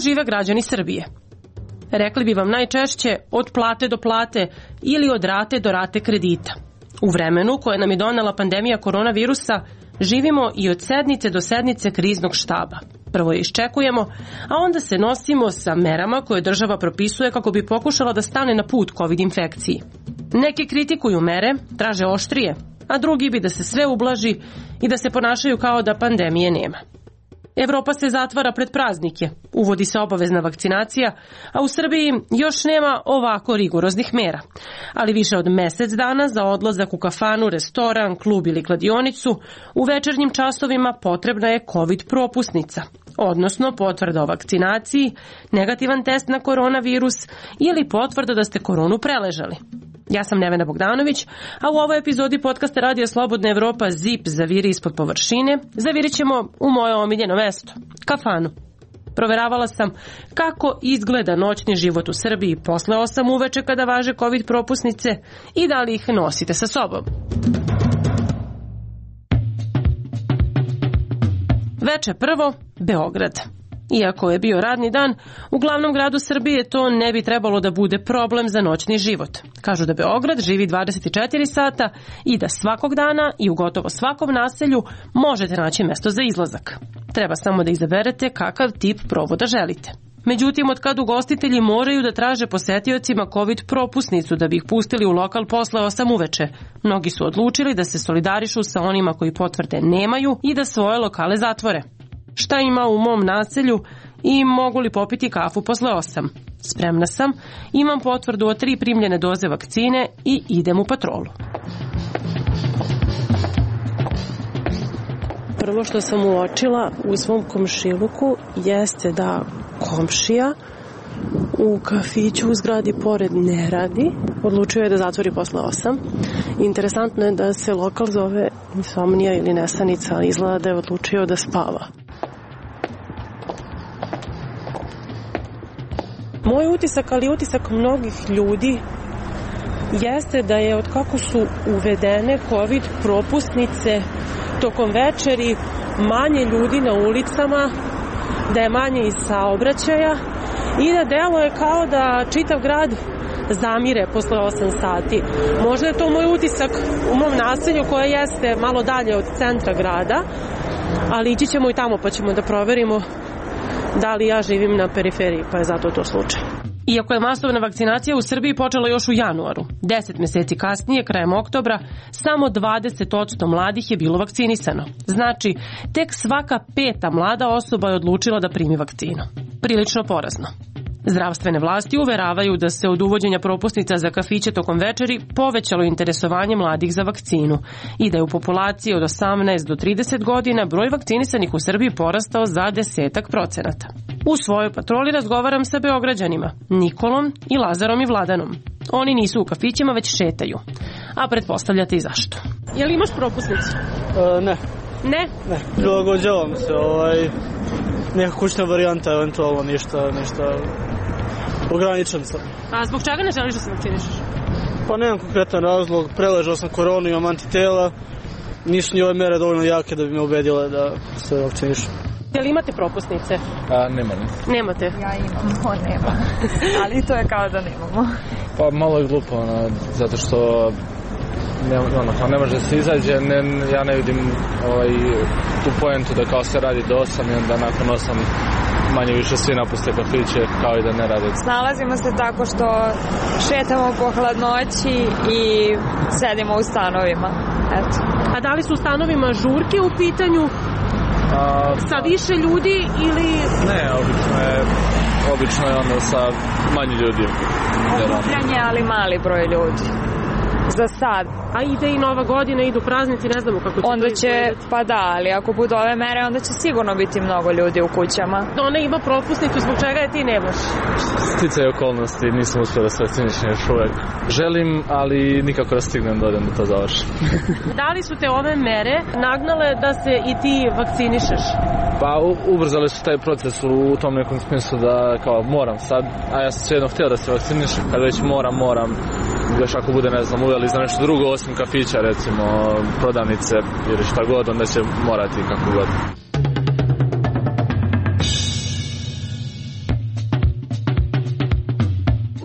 Žive građani Srbije. Rekli bi vam najčešće od plate do plate ili od rate do rate kredita. U vremenu koje nam je donela pandemija koronavirusa živimo i od sednice do sednice kriznog štaba. Prvo je iščekujemo, a onda se nosimo sa merama koje država propisuje kako bi pokušala da stane na put COVID infekciji. Neki kritikuju mere, traže oštrije, a drugi bi da se sve ublaži i da se ponašaju kao da pandemije nema. Evropa se zatvara pred praznike, uvodi se obavezna vakcinacija, a u Srbiji još nema ovako rigoroznih mera. Ali više od mesec dana za odlazak u kafanu, restoran, klub ili kladionicu u večernjim časovima potrebna je COVID propusnica, odnosno potvrda o vakcinaciji, negativan test na koronavirus ili potvrda da ste koronu preležali. Ja sam Nevena Bogdanović, a u ovoj epizodi podcasta Radija Slobodna Evropa Zip zaviri ispod površine, zavirit ćemo u moje omiljeno mesto, kafanu. Proveravala sam kako izgleda noćni život u Srbiji posle osam uveče kada važe COVID propusnice i da li ih nosite sa sobom. Veče prvo, Beograd. Iako je bio radni dan, u glavnom gradu Srbije to ne bi trebalo da bude problem za noćni život. Kažu da Beograd živi dvadeset četiri sata i da svakog dana i u gotovo svakom naselju možete naći mesto za izlazak. Treba samo da izaberete kakav tip provoda želite. Međutim, od kad ugostitelji moraju da traže posetiocima COVID propusnicu da bi ih pustili u lokal posle osam uveče, mnogi su odlučili da se solidarišu sa onima koji potvrde nemaju i da svoje lokale zatvore. Šta ima u mom naselju i mogu li popiti kafu posle osam? Spremna sam, imam potvrdu od tri primljene doze vakcine i idem u patrolu. Prvo što sam uočila u svom komšiluku jeste da komšija u kafiću u zgradi pored ne radi. Odlučio je da zatvori posle osam. Interesantno je da se lokal zove Insomnija ili Nesanica, ali izgleda da je odlučio da spava. Moj utisak, ali utisak mnogih ljudi, jeste da je od kako su uvedene COVID propusnice tokom večeri manje ljudi na ulicama, da je manje i saobraćaja i da deluje kao da čitav grad zamire posle osam sati. Možda je to moj utisak u mom naselju koje jeste malo dalje od centra grada, ali ići ćemo i tamo pa ćemo da proverimo da li ja živim na periferiji, pa je zato to slučaj. Iako je masovna vakcinacija u Srbiji počela još u januaru, deset meseci kasnije, krajem oktobra, samo dvadeset posto mladih je bilo vakcinisano. Znači, tek svaka peta mlada osoba je odlučila da primi vakcinu. Prilično porazno. Zdravstvene vlasti uveravaju da se od uvođenja propusnica za kafiće tokom večeri povećalo interesovanje mladih za vakcinu i da je u populaciji od osamnaest do trideset godina broj vakcinisanih u Srbiji porastao za desetak procenata. U svojoj patroli razgovaram sa Beograđanima, Nikolom i Lazarom i Vladanom. Oni nisu u kafićima, već šetaju. A pretpostavljate i zašto. Je li imaš propusnicu? E, ne. Ne? Ne. Prilagođavam se, ovaj, neka kućna varijanta, eventualno ništa, ništa ograničen sam. A zbog čega ne želiš da se vakcinišeš? Pa nemam konkretan razlog, preležao sam koronu, imam antitela, nisu ni ove mere dovoljno jake da bi me ubedile da se vakcinišem. Je li imate propusnice? A, nema ne. Nemate? Ja imam, on nema. Ali to je kao da nemamo. Pa malo je glupo, ono, zato što ne, ono, kao ne može da se izađe, ne, ja ne vidim ovaj, tu pojentu da kao se radi do osam i onda nakon osam manje više svi napuste kafiće kao i da ne rade. Snalazimo se tako što šetamo po hladnoći i sedimo u stanovima. Eto. A da li su u stanovima žurke u pitanju? A, sa više ljudi ili... Ne, obično je, obično je ono sa manje ljudi. Okupljanje, ali mali broj ljudi. Za sad. A ide i Nova godina, idu praznici, ne znamo kako će onda to će, izgledati. pa da, ali ako budu ove mere, onda će sigurno biti mnogo ljudi u kućama. Ona ima propusnicu, zbog čega je ti nemaš? Sticaj okolnosti, nisam uspio da se vakcinišem još uvek. Želim, ali nikako da stignem da odem da to završim. Da li su te ove mere nagnale da se i ti vakcinišeš? Pa ubrzali su taj proces u tom nekom smislu da kao moram sad, a ja sam svejedno htio da se vakcinišem, kad već moram, moram, još ako bude, ne znam, uveli za nešto drugo osim kafića, recimo prodavnice ili šta god, onda će morati kako god.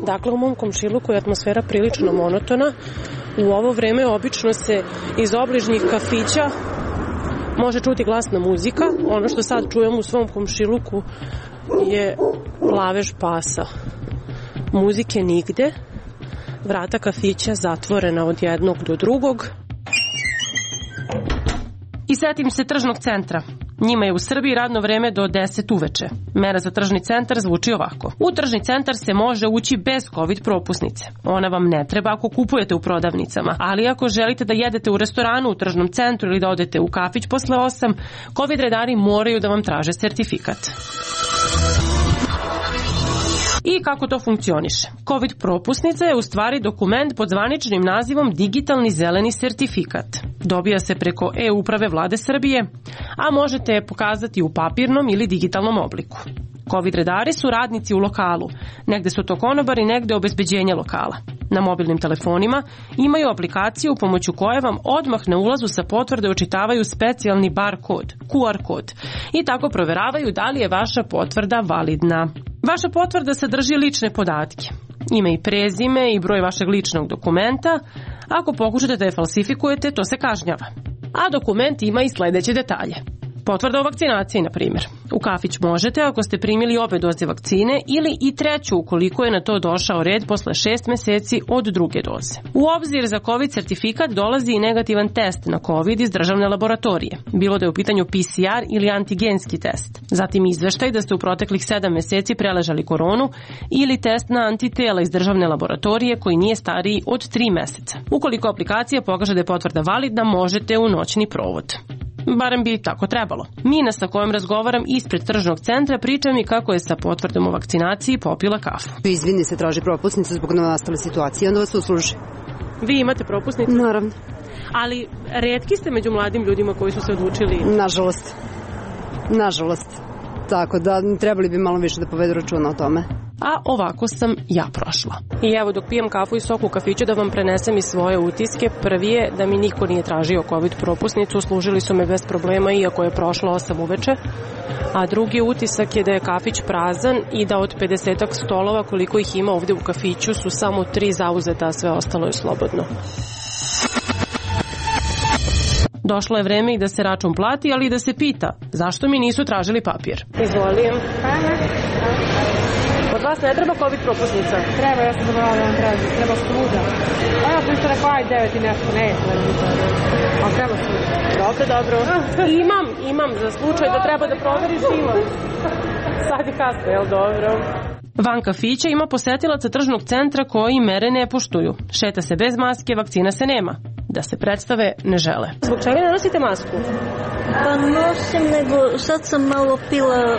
Dakle, u mom komšiluku je atmosfera prilično monotona. U ovo vreme obično se iz obližnjih kafića može čuti glasna muzika. Ono što sad čujem u svom komšiluku je lavež pasa. Muzike nigde. Vrata kafića zatvorena od jednog do drugog. I setim se tržnog centra. Njima je u Srbiji radno vreme do deset uveče. Mera za tržni centar zvuči ovako. U tržni centar se može ući bez COVID propusnice. Ona vam ne treba ako kupujete u prodavnicama, ali ako želite da jedete u restoranu u tržnom centru ili da odete u kafić posle osam, COVID redari moraju da vam traže sertifikat. I kako to funkcioniše? COVID propusnica je u stvari dokument pod zvaničnim nazivom Digitalni zeleni sertifikat. Dobija se preko e-uprave Vlade Srbije, a možete je pokazati u papirnom ili digitalnom obliku. COVID redari su radnici u lokalu. Negde su to konobari, negde obezbeđenje lokala. Na mobilnim telefonima imaju aplikaciju pomoću koje vam odmah na ulazu sa potvrde očitavaju specijalni bar kod, Q R kod, i tako proveravaju da li je vaša potvrda validna. Vaša potvrda sadrži lične podatke, ime i prezime i broj vašeg ličnog dokumenta. Ako pokušate da je falsifikujete, to se kažnjava. A dokument ima i sledeće detalje. Potvrda o vakcinaciji, na primjer. U kafić možete ako ste primili obe doze vakcine ili i treću ukoliko je na to došao red posle šest meseci od druge doze. U obzir za COVID sertifikat dolazi i negativan test na COVID iz državne laboratorije, bilo da je u pitanju P C R ili antigenski test. Zatim izveštaj da ste u proteklih sedam meseci preležali koronu ili test na antitela iz državne laboratorije koji nije stariji od tri meseca. Ukoliko aplikacija pokaže da je potvrda validna, možete u noćni provod. Barem bi tako trebalo. Mina sa kojom razgovaram ispred tržnog centra priča mi kako je sa potvrdom o vakcinaciji popila kafu. Izvini se, traži propusnicu zbog novonastale situacije, onda vas usluži. Vi imate propusnicu? Naravno. Ali retki ste među mladim ljudima koji su se odlučili? Nažalost. Nažalost. Tako da trebali bi malo više da povedu računa o tome. A ovako sam ja prošla. I evo dok pijem kafu i sok u kafiću da vam prenesem i svoje utiske. Prvi je da mi niko nije tražio COVID propusnicu, služili su me bez problema iako je prošlo osam uveče. A drugi utisak je da je kafić prazan i da od pedesetak stolova koliko ih ima ovde u kafiću su samo tri zauzeta, a sve ostalo je slobodno. Došlo je vreme i da se račun plati, ali i da se pita zašto mi nisu tražili papir. Izvolim. Od vas ne treba COVID propusnica? Treba, ja sam zaboravila da vam traži. Treba struda. A ja sam isto rekao, aj devet i nešto, ne je ali treba struda. Dobro, dobro. Imam, imam za slučaj da treba da proveriš, imam. Sad je kasno, jel dobro? Van kafića ima posetilaca tržnog centra koji mere ne poštuju. Šeta se bez maske, vakcina se nema. Da se predstave ne žele. Zbog čega ne nosite masku? Pa nosim, nego sad sam malo pila,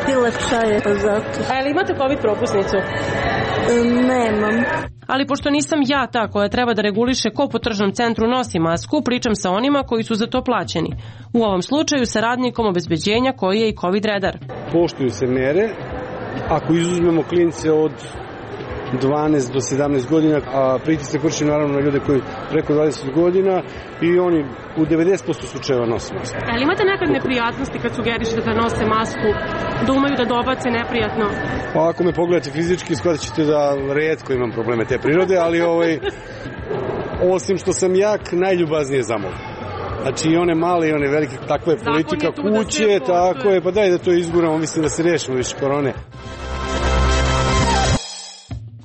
pila čaje, pa zato. A li imate COVID propusnicu? Nemam. Ali pošto nisam ja ta koja treba da reguliše ko po tržnom centru nosi masku, pričam sa onima koji su za to plaćeni. U ovom slučaju sa radnikom obezbeđenja koji je i COVID redar. Poštuju se mere, ako izuzmemo klince od dvanaest do sedamnaest godina, a pritisak vrši naravno na ljude koji preko dvadeset godina i oni u devedeset posto slučajeva nose masku. Ali imate nekad neprijatnosti kad sugerišete da nose masku, da umeju da dobace neprijatno? Pa ako me pogledate fizički, shvatit ćete da retko imam probleme te prirode, ali ovaj, osim što sam jak, najljubaznije zamolim. Znači i one male i one velike, takva je politika kuće, tako je, pa daj da to izguramo, mislim da se rešimo više korone.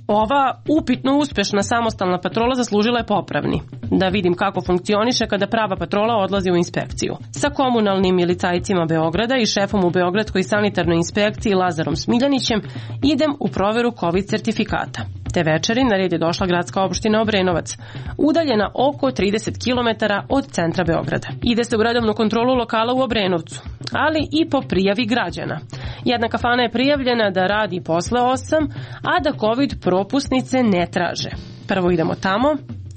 Ova upitno uspešna samostalna patrola zaslužila je popravni. Da vidim kako funkcioniše kada prava patrola odlazi u inspekciju. Sa komunalnim milicajcima Beograda i šefom u Beogradskoj sanitarnoj inspekciji Lazarom Smiljanićem idem u proveru COVID sertifikata. Te večeri na red je došla gradska opština Obrenovac, udaljena oko trideset kilometara od centra Beograda. Ide se u redovnu kontrolu lokala u Obrenovcu, ali i po prijavi građana. Jedna kafana je prijavljena da radi posle osam, a da COVID propusnice ne traže. Prvo idemo tamo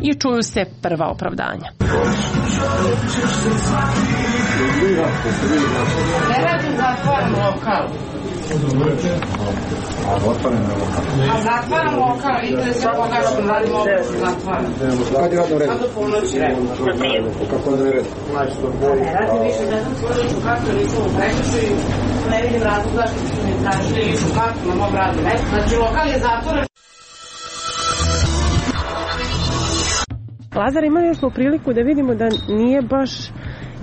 i čuju se prva opravdanja. Ne radim zatvoren lokal. A zatvoren je lokal? A zatvaram lokal, interesuje koga što radim ovdje se zatvaram. Kad je radno red? Sad do ponoći red. Kako je red? Ne radim više, ne znam svoju ličnu kartu, nisam u prekršaju, ne vidim razlog zašto su mi tražili ličnu kartu na mom radnom mestu. Znači lokal je zatvoren. Lazar, imali smo priliku da vidimo da nije baš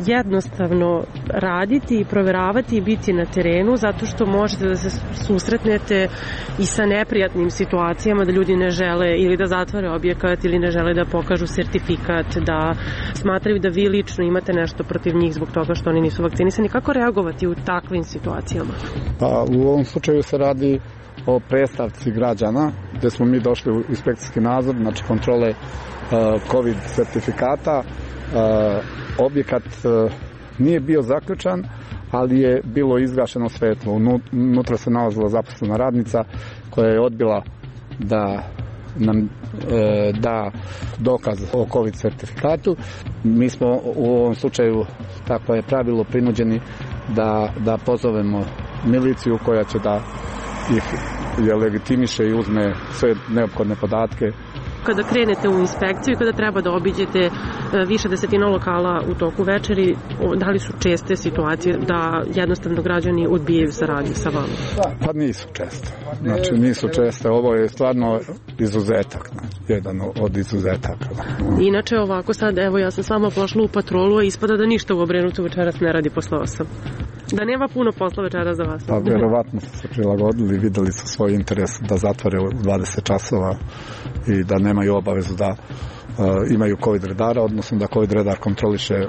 jednostavno raditi i proveravati i biti na terenu, zato što možete da se susretnete i sa neprijatnim situacijama, da ljudi ne žele ili da zatvore objekat ili ne žele da pokažu sertifikat, da smatraju da vi lično imate nešto protiv njih zbog toga što oni nisu vakcinisani. Kako reagovati u takvim situacijama? Pa, u ovom slučaju se radi o predstavci građana, gde smo mi došli u inspekcijski nadzor, znači kontrole COVID sertifikata. Objekat nije bio zaključan, ali je bilo izgašeno svetlo. Unutra se nalazila zaposlena radnica koja je odbila da nam da dokaz o COVID sertifikatu. Mi smo u ovom slučaju, tako je pravilo, prinuđeni da, da pozovemo miliciju koja će da ih je legitimiše i uzme sve neophodne podatke. Kada krenete u inspekciju i kada treba da obiđete više desetina lokala u toku večeri, da li su česte situacije da jednostavno građani odbijaju saradnju sa vama? Pa nisu česte. Znači nisu česte. Ovo je stvarno izuzetak. Znači, jedan od izuzetaka. Inače ovako sad, evo ja sam sama pošla u patrolu, a ispada da ništa u Obrenovcu večeras ne radi posle osam. Da nema puno posla večera za vas. Pa verovatno su se prilagodili, videli su svoj interes da zatvore u dvadeset časova i da nemaju obavezu da uh, imaju COVID redara, odnosno da COVID redar kontroliše uh,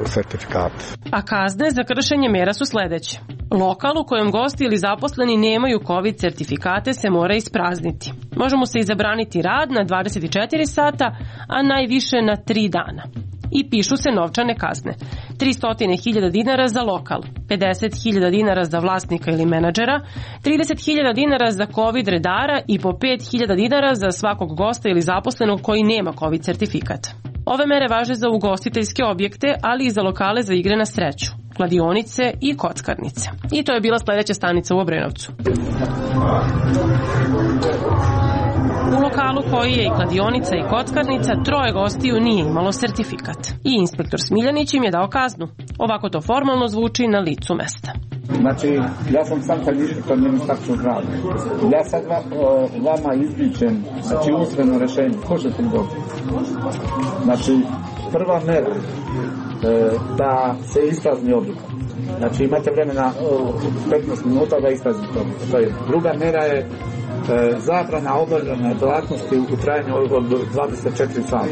sertifikat. A kazne za kršenje mera su sledeće. Lokal u kojem gosti ili zaposleni nemaju COVID sertifikate se mora isprazniti. Može mu se izabraniti rad na dvadeset četiri sata, a najviše na tri dana. I pišu se novčane kazne. tristo hiljada dinara za lokal, pedeset hiljada dinara za vlasnika ili menadžera, trideset hiljada dinara za COVID redara i po pet hiljada dinara za svakog gosta ili zaposlenog koji nema COVID sertifikat. Ove mere važe za ugostiteljske objekte, ali i za lokale za igre na sreću, kladionice i kockarnice. I to je bila sledeća stanica u Obrenovcu. U lokalu koji je i kladionica i kockarnica, troje gostiju nije imalo sertifikat. I inspektor Smiljanić im je dao kaznu. Ovako to formalno zvuči na licu mesta. Znači, ja sam sam sad inspektor Ministarstva zdravlja. Ja sad va, o, vama izričem, znači usmeno rešenje. Slušajte mi dobro. Znači, prva mera e, da se isprazni objekat. Znači, imate vremena petnaest minuta da ispraznite objekat. To je. Druga mera je E, zabrana obavljanja delatnosti u trajanju od dvadeset četiri sata.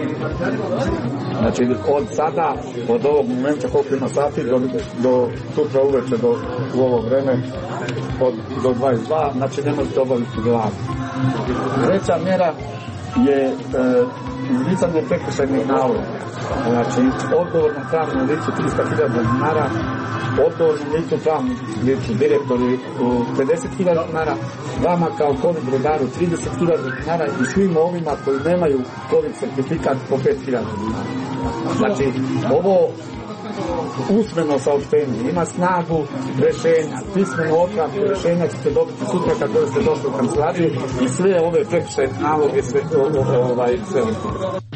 Znači od sada, od ovog momenta koliko ima sati do, do sutra uveče do u ovo vreme od, do dvadeset dva, znači ne možete obaviti delatnost. Treća mjera je e, izricanje prekršajnih naloga. Znači odgovorno pravno lice tristo hiljada dinara, odgovorno licu pravnom licu direktori pedeset hiljada dinara, vama kao COVID redaru trideset hiljada dinara i svim ovima koji nemaju COVID sertifikat po pet hiljada dinara. Znači ovo usmeno saopštenje ima snagu rešenja, pismeno otpravku rešenja ćete dobiti sutra kad ste došli u kancelariju i sve ove prekršajne naloge sve ovaj sve.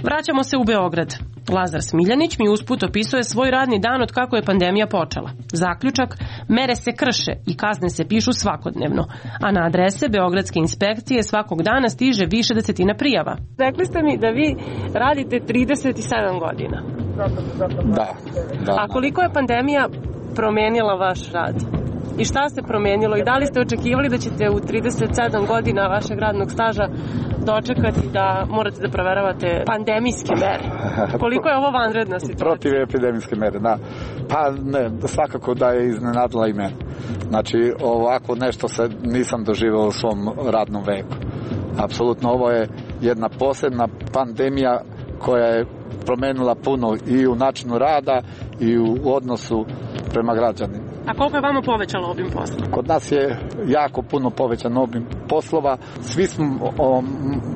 Vraćamo se u Beograd. Lazar Smiljanić mi usput opisuje svoj radni dan od kako je pandemija počela. Zaključak, mere se krše i kazne se pišu svakodnevno, a na adrese Beogradske inspekcije svakog dana stiže više desetina prijava. Rekli ste mi da vi radite trideset sedam godina. Da, da. A koliko je pandemija promenila vaš rad? I šta se promenilo? I da li ste očekivali da ćete u trideset sedam godina vašeg radnog staža dočekati da morate da proveravate pandemijske mere? Koliko je ovo vanredna situacija? Protiv epidemijske mere, da. Pa ne, svakako da je iznenadila i mene. Znači, ovako nešto se nisam doživao u svom radnom veku. Apsolutno, ovo je jedna posebna pandemija koja je promenila puno i u načinu rada i u odnosu prema građanima. A koliko je vama povećalo obim posla? Kod nas je jako puno povećan obim poslova. Svi smo o,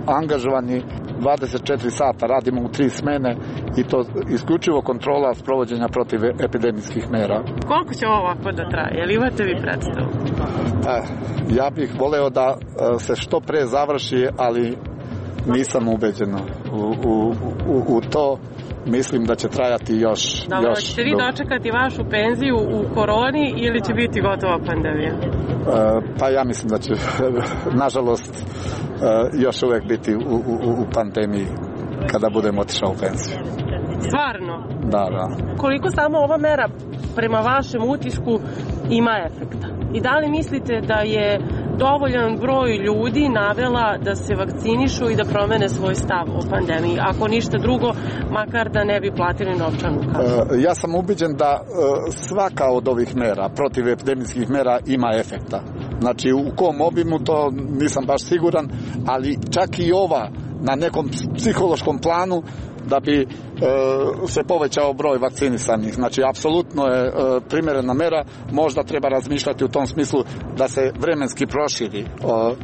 angažovani dvadeset četiri sata, radimo u tri smene i to isključivo kontrola sprovođenja protiv epidemijskih mera. Koliko će ovo ovako da traje? Jel imate vi predstavu? Eh, ja bih voleo da se što pre završi, ali nisam ubeđen u, u, u, u to. Mislim da će trajati još... Dobro, još ćete vi dočekati vašu penziju u koroni ili će biti gotova pandemija? Uh, pa ja mislim da će, nažalost, uh, još uvek biti u, u, u pandemiji kada budem otišao u penziju. Stvarno? Da, da. Koliko samo ova mera prema vašem utisku ima efekta? I da li mislite da je dovoljan broj ljudi navela da se vakcinišu i da promene svoj stav o pandemiji, ako ništa drugo, makar da ne bi platili novčanu kaznu? Ja sam ubeđen da svaka od ovih mera, protiv epidemijskih mera, ima efekta. Znači, u kom obimu to nisam baš siguran, ali čak i ova na nekom psihološkom planu da bi e, se povećao broj vakcinisanih. Znači, apsolutno je e, primjerena mera. Možda treba razmišljati u tom smislu da se vremenski proširi. E,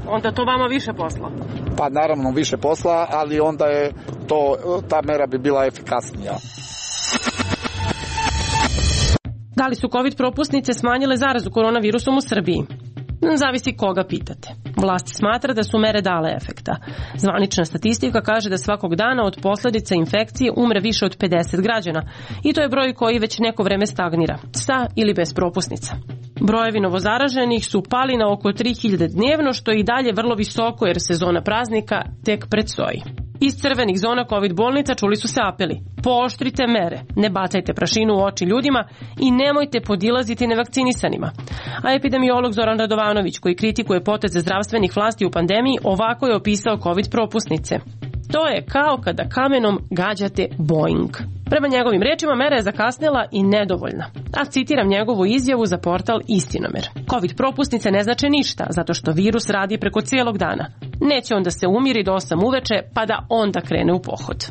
onda to vama više posla? Pa naravno više posla, ali onda je to, ta mera bi bila efikasnija. Da li su COVID propusnice smanjile zarazu koronavirusom u Srbiji? Zavisi koga pitate. Vlast smatra da su mere dale efekta. Zvanična statistika kaže da svakog dana od posljedica infekcije umre više od pedeset građana i to je broj koji već neko vreme stagnira, sa ili bez propusnica. Brojevi novozaraženih su pali na oko tri hiljade dnevno, što je i dalje vrlo visoko jer sezona praznika tek predstoji. Iz crvenih zona COVID bolnica čuli su se apeli: pooštrite mere, ne bacajte prašinu u oči ljudima i nemojte podilaziti nevakcinisanima. A epidemiolog Zoran Radovanović, koji kritikuje poteze zdravstvenih vlasti u pandemiji, ovako je opisao COVID propusnice. To je kao kada kamenom gađate Boeing. Prema njegovim rečima, mera je zakasnela i nedovoljna. A citiram njegovu izjavu za portal Istinomer. COVID propusnice ne znače ništa, zato što virus radi preko cijelog dana. Neće onda se umiri do osam uveče, pa da onda krene u pohod.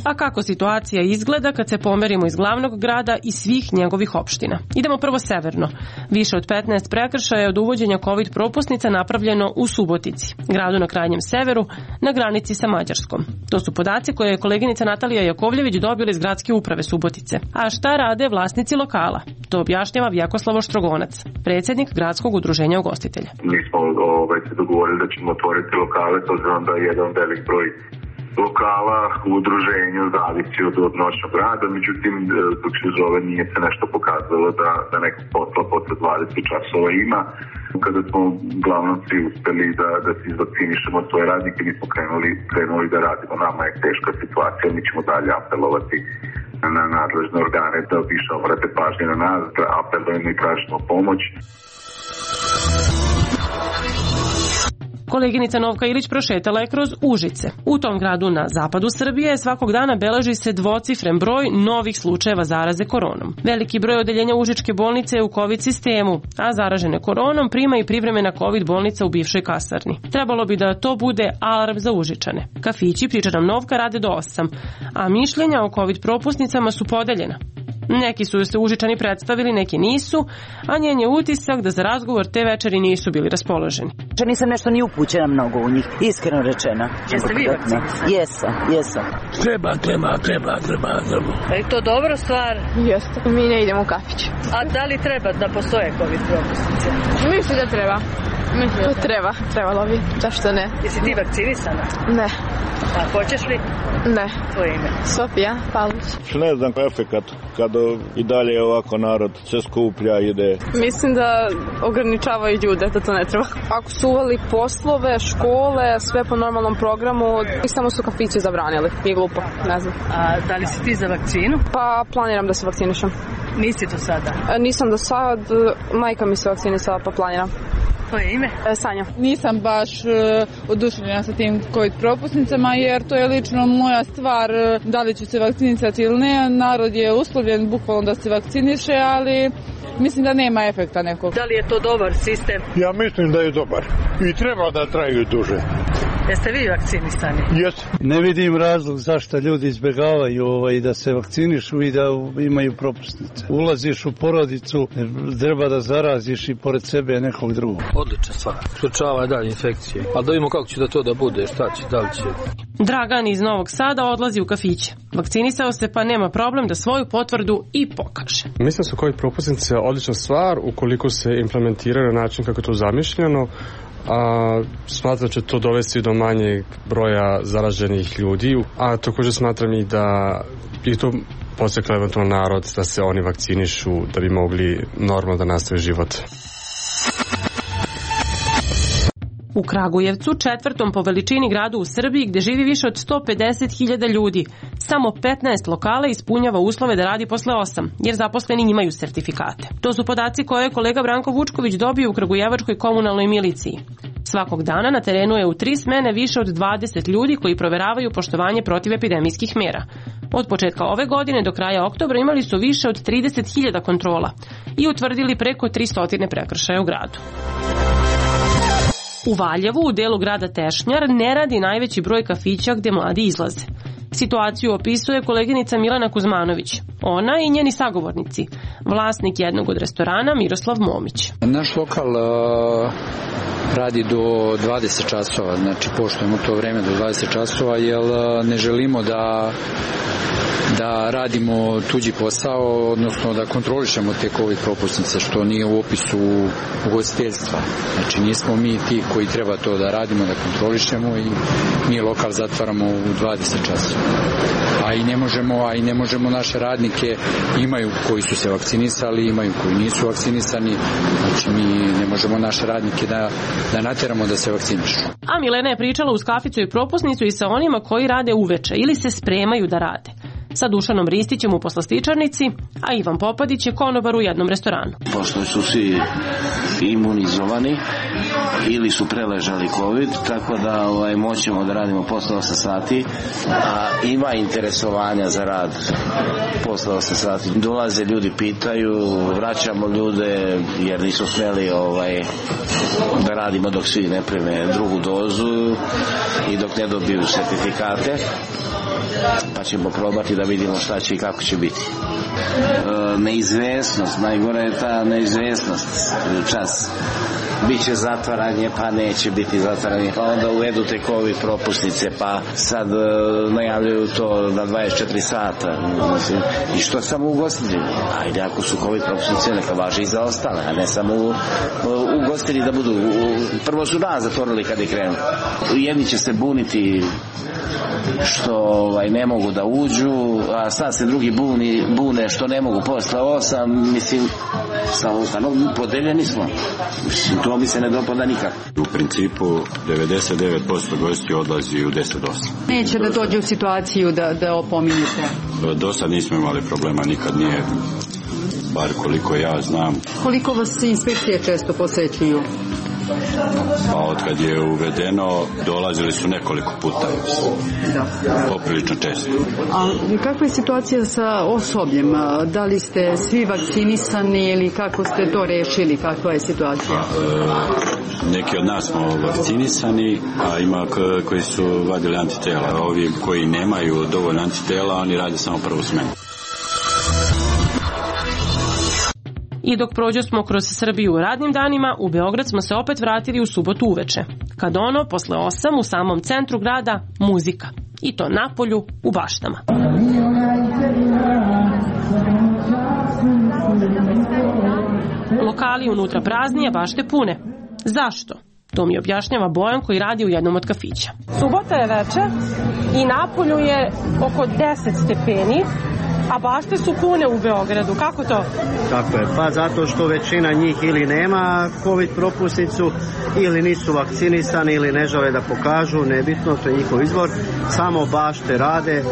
A kako situacija izgleda kad se pomerimo iz glavnog grada i svih njegovih opština? Idemo prvo severno. Više od petnaest prekršaja je od uvođenja COVID propusnica napravljeno u Subotici, gradu na krajnjem severu, na granici sa Mađarskom. To su podaci koje je koleginica Natalija Jakovljević dobila iz gradske uprave Subotice. A šta rade vlasnici lokala? To objašnjava Vjekoslavo Štrogonac, predsjednik gradskog udruženja ugostitelja. Mi smo ovaj, se dogovorili da ćemo otvoriti lokale, to znam da je jedan velik broj lokala u udruženju zavisi od, od noćnog rada, međutim dok se zove nije se nešto pokazalo da, da nekog posla posle dvadeset časova ima. Kada smo uglavnom svi uspeli da, da se izvakcinišemo svoje radnike, mi smo krenuli, krenuli da radimo. Nama je teška situacija, mi ćemo dalje apelovati na nadležne organe da više obrate pažnje na nas, da apelujemo i tražimo pomoć. Koleginica Novka Ilić prošetala je kroz Užice. U tom gradu na zapadu Srbije svakog dana beleži se dvocifren broj novih slučajeva zaraze koronom. Veliki broj odeljenja Užičke bolnice je u COVID sistemu, a zaražene koronom prima i privremena COVID bolnica u bivšoj kasarni. Trebalo bi da to bude alarm za Užičane. Kafići, priča nam Novka, rade do osam, a mišljenja o COVID propusnicama su podeljena. Neki su se Užičani predstavili, neki nisu, a njen je utisak da za razgovor te večeri nisu bili raspoloženi. Nisam nešto ni upućena mnogo u njih, iskreno rečeno. Jeste vi vakcinisani? Jesam, jesam. Treba, treba, treba, treba, treba. Je to dobra stvar? Jeste. Mi ne idemo u kafić. A da li treba da postoje COVID propusnice? Mislim da treba. To treba, trebalo bi, zašto ne? Jesi ti vakcinisana? Ne. A hoćeš li? Ne. Tvoje ime? Sofija Pavlović. Ne znam efekat kada i dalje ovako narod se skuplja, ide. Mislim da ograničavaju ljude, da to ne treba. Ako su uveli poslove, škole, sve po normalnom programu, i samo su kafići zabranili. Nije glupo, ne znam. A da li si ti za vakcinu? Pa planiram da se vakcinišem. Nisi to sada? Nisam do sad, majka mi se vakcinisala pa planiram. Tvoje ime? Sanja. Nisam baš uh, oduševljena sa tim COVID propusnicama jer to je lično moja stvar uh, da li ću se vakcinisati ili ne. Narod je uslovljen bukvalno da se vakciniše, ali mislim da nema efekta nekog. Da li je to dobar sistem? Ja mislim da je dobar i treba da traju duže. Jeste vi vakcinisani? Jes. Ne vidim razlog zašto ljudi izbjegavaju ovaj, da se vakcinišu i da imaju propusnice. Ulaziš u porodicu, treba da zaraziš i pored sebe nekog drugog. Odlična stvar. Sprečava dalje infekcije. Ali da vidimo kako će da to da bude, šta će, da li će. Dragan iz Novog Sada odlazi u kafiće. Vakcinisao se pa nema problem da svoju potvrdu i pokaže. Mislim da su COVID propusnice odlična stvar ukoliko se implementiraju na način kako je to zamišljeno. A, smatram da će to dovesti do manjeg broja zaraženih ljudi, a također smatram i da je to podstaklo eventualno narod da se oni vakcinišu da bi mogli normalno da nastave život. U Kragujevcu, četvrtom po veličini gradu u Srbiji, gde živi više od sto pedeset hiljada ljudi, samo petnaest lokala ispunjava uslove da radi posle osam, jer zaposleni imaju sertifikate. To su podaci koje je kolega Branko Vučković dobio u Kragujevačkoj komunalnoj miliciji. Svakog dana na terenu je u tri smene više od dvadeset ljudi koji proveravaju poštovanje protivepidemijskih mera. Od početka ove godine do kraja oktobra imali su više od trideset hiljada kontrola i utvrdili preko tristo prekršaja u gradu. U Valjevu, u delu grada Tešnjar, ne radi najveći broj kafića gde mladi izlaze. Situaciju opisuje koleginica Milana Kuzmanović. Ona i njeni sagovornici. Vlasnik jednog od restorana Miroslav Momić. Naš lokal uh, radi do dvadeset časova, znači poštujemo to vreme do dvadeset časova, jer uh, ne želimo da da radimo tuđi posao, odnosno da kontrolišemo te COVID propusnice, što nije u opisu ugostiteljstva. Znači nismo mi ti koji treba to da radimo, da kontrolišemo i mi lokal zatvaramo u dvadeset časova. A i ne možemo, a i ne možemo naše radnike, imaju koji su se vakcinisali, imaju koji nisu vakcinisani, znači mi ne možemo naše radnike da, da nateramo da se vakcinišu. A Milena je pričala uz kaficu i propusnicu i sa onima koji rade uveče ili se spremaju da rade. Sa Dušanom Ristićem u poslastičarnici, a Ivan Popadić je konobar u jednom restoranu. Pošto su svi imunizovani ili su preležali COVID, tako da ovaj, moćemo da radimo posle osam sati, a ima interesovanja za rad posle osam sati. Dolaze ljudi, pitaju, vraćamo ljude jer nisu smeli ovaj, da radimo dok svi ne prime drugu dozu i dok ne dobiju sertifikate. Pa ćemo probati da vidimo šta će i kako će biti. E, neizvesnost, najgore je ta neizvesnost. Čas biće zatvaranje, pa neće biti zatvaranje, pa onda uvedu te COVID propusnice, pa sad e, najavljaju to na dvadeset četiri sata. Mislim, i što samo ugostitelji? Ajde, ako su COVID propusnice, neka važi i za ostale, a ne samo u, u, ugostitelji da budu. U, prvo su nas zatvorili kad je krenu. Jedni će se buniti što ovaj, ne mogu da uđu, a sad se drugi buni, bune što ne mogu posle osam, mislim, samo ustanom, podeljeni smo. Mislim, to mi se ne dopada nikako. U principu devedeset devet posto gosti odlazi u deset do osam. Neće da dođe u situaciju da, da opominjete? Do sad nismo imali problema, nikad nije, bar koliko ja znam. Koliko vas inspekcije često posećuju? Pa od kad je uvedeno dolazili su nekoliko puta, da. Poprilično često. A kakva je situacija sa osobljem? Da li ste svi vakcinisani ili kako ste to rešili? Kakva je situacija? E, neki od nas smo vakcinisani, a ima koji su vadili antitela. Ovi koji nemaju dovoljno antitela, oni rade samo prvu smenu. I dok prođo smo kroz Srbiju u radnim danima, u Beograd smo se opet vratili u subotu uveče. Kad ono, posle osam, u samom centru grada, muzika. I to na polju, u baštama. Lokali unutra prazni, a bašte pune. Zašto? To mi objašnjava Bojan koji radi u jednom od kafića. Subota je večer i napolju je oko deset stepeni, a bašte su pune u Beogradu. Kako to? Tako je, pa zato što većina njih ili nema COVID propusnicu ili nisu vakcinisani ili ne žele da pokažu, nebitno, to je njihov izbor. Samo bašte rade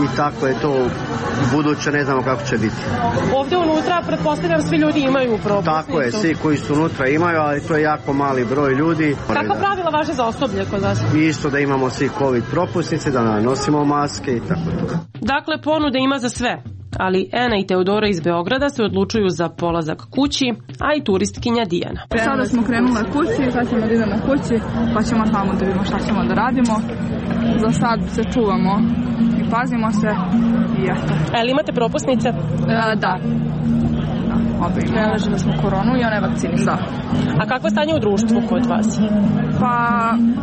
i tako je to u buduće, ne znamo kako će biti. Ovde unutra, pretpostavljam, svi ljudi imaju propusnicu. Tako je, svi koji su unutra imaju, ali to je jako mali broj ljudi. Kakva pravila važe za osoblje kod vas? Isto da imamo svi COVID propusnice, da nosimo maske i tako to. Dakle, ponude ima za sve. Ali Ena i Teodora iz Beograda se odlučuju za polazak kući, a i turistkinja Dijana. Sada smo krenule kući, sad ćemo da idemo kući, pa ćemo tamo da vidimo šta ćemo da radimo. Za sad se čuvamo i pazimo se i eto. A li imate propusnice? E, da. Preležili smo koronu i ona je vakcinisana. A kakvo je stanje u društvu kod vas? Pa,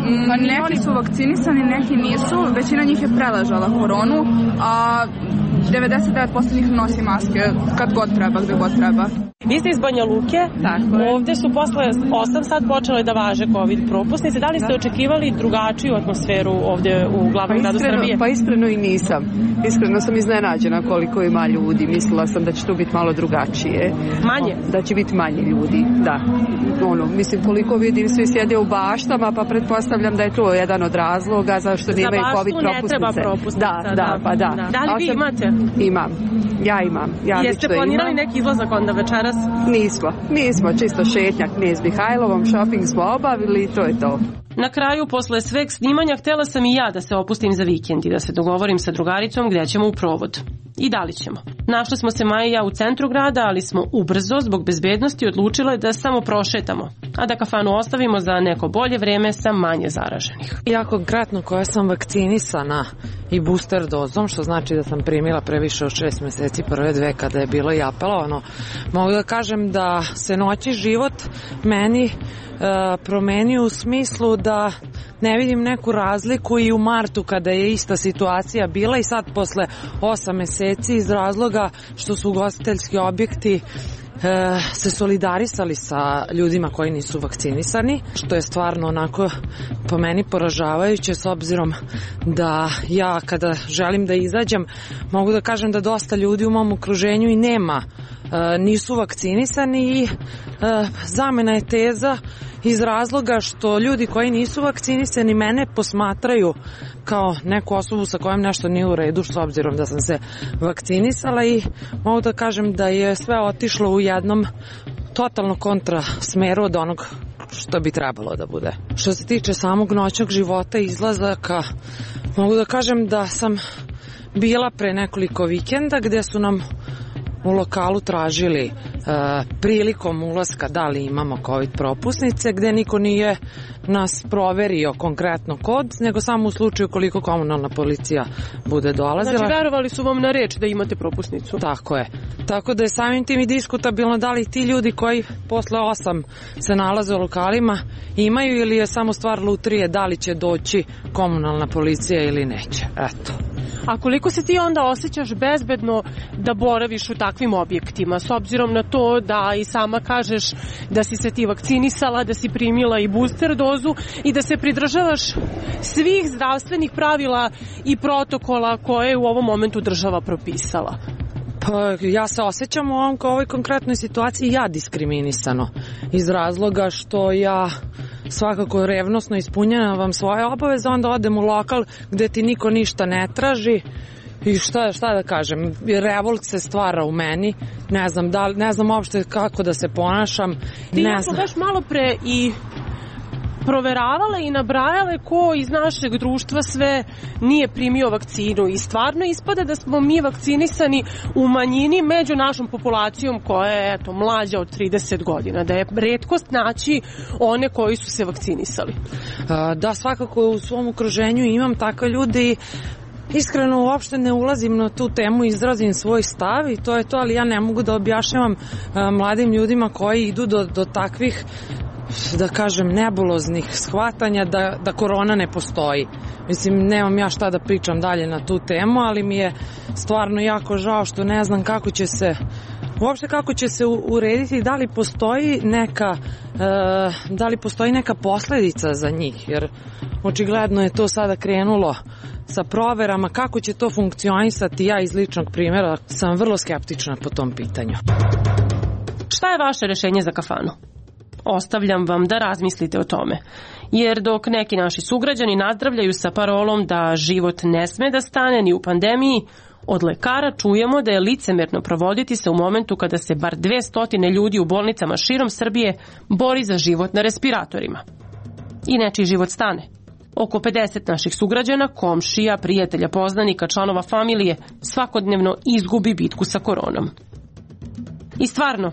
m, neki su vakcinisani, neki nisu. Većina njih je preležala koronu, a devedeset devet posto njih nosi maske kad god treba, gde god treba. Vi ste iz Banja Luke, ovde su posle osam sad počele da važe COVID propusnice. Da li ste očekivali drugačiju atmosferu ovde u glavnom gradu Srbije? Pa iskreno i nisam. Iskreno sam iznenađena koliko ima ljudi. Mislila sam da će tu biti malo drugačije. Manje? Da će biti manje ljudi, da. Ono, mislim, koliko vidim, svi sjede u baštama, pa pretpostavljam da je to jedan od razloga zašto nemaju COVID propusnice. Za baštu ne treba propusnica. Da, da, pa da. Da li vi imate? Imam. Ja imam. Ja Jeste planirali neki izlazak onda večeras? Nismo. Nismo. Čisto šetnjak Knez Mihajlovom, shopping smo obavili i to je to. Na kraju, posle sveg snimanja, htjela sam i ja da se opustim za vikend i da se dogovorim sa drugaricom gdje ćemo u provod. I da li ćemo. Našli smo se Maja i ja u centru grada, ali smo ubrzo, zbog bezbednosti, odlučile da samo prošetamo, a da kafanu ostavimo za neko bolje vreme sa manje zaraženih. Ja konkretno koja sam vakcinisana i booster dozom, što znači da sam primila previše od šest meseci prve dve kada je bilo i apelovano, mogu da kažem da se noći život meni promenio u smislu da ne vidim neku razliku i u martu kada je ista situacija bila i sad posle osam meseci iz razloga što su ugostiteljski objekti se solidarisali sa ljudima koji nisu vakcinisani, što je stvarno onako po meni poražavajuće s obzirom da ja kada želim da izađem mogu da kažem da dosta ljudi u mom okruženju i nema, nisu vakcinisani i zamena je teza iz razloga što ljudi koji nisu vakcinisani mene posmatraju kao neku osobu sa kojom nešto nije u redu, s obzirom da sam se vakcinisala i mogu da kažem da je sve otišlo u jednom totalno kontra smeru od onog što bi trebalo da bude. Što se tiče samog noćnog života i izlazaka, mogu da kažem da sam bila pre nekoliko vikenda gde su nam u lokalu tražili e, prilikom ulaska da li imamo COVID propusnice, gde niko nije nas proverio konkretno kod, nego samo u slučaju koliko komunalna policija bude dolazila. Znači, verovali su vam na reč da imate propusnicu? Tako je. Tako da je samim tim i diskutabilno da li ti ljudi koji posle osam se nalaze u lokalima imaju ili je samo stvar lutrije da li će doći komunalna policija ili neće. Eto. A koliko se ti onda osjećaš bezbedno da boraviš u takvim objektima, s obzirom na to da i sama kažeš da si se ti vakcinisala, da si primila i booster dozu i da se pridržavaš svih zdravstvenih pravila i protokola koje je u ovom momentu država propisala? Pa ja se osjećam u ovom, ovoj konkretnoj situaciji ja diskriminisano iz razloga što ja svakako revnosno ispunjavam svoje obaveze, onda odem u lokal gde ti niko ništa ne traži i šta, šta da kažem, revolt se stvara u meni, ne znam, da, ne znam uopšte kako da se ponašam. Ti ja smo baš malo pre i proveravale i nabrajale ko iz našeg društva sve nije primio vakcinu i stvarno ispada da smo mi vakcinisani u manjini među našom populacijom koja je eto, mlađa od trideset godina, da je retkost naći one koji su se vakcinisali. Da, svakako u svom okruženju imam takve ljude i iskreno uopšte ne ulazim na tu temu, izrazim svoj stav i to je to, ali ja ne mogu da objašnjavam mladim ljudima koji idu do, do takvih, da kažem, nebuloznih shvatanja da, da korona ne postoji. Mislim, nemam ja šta da pričam dalje na tu temu, ali mi je stvarno jako žao što ne znam kako će se uopšte kako će se urediti, da li postoji neka da li postoji neka posledica za njih, jer očigledno je to sada krenulo sa proverama, kako će to funkcionisati. Ja iz ličnog primjera sam vrlo skeptična po tom pitanju. Šta je vaše rešenje za kafanu? Ostavljam vam da razmislite o tome. Jer dok neki naši sugrađani nazdravljaju sa parolom da život ne sme da stane ni u pandemiji, od lekara čujemo da je licemerno provoditi se u momentu kada se bar dvesta ljudi u bolnicama širom Srbije bori za život na respiratorima. I nečiji život stane. Oko pedeset naših sugrađana, komšija, prijatelja, poznanika, članova familije svakodnevno izgubi bitku sa koronom. I stvarno,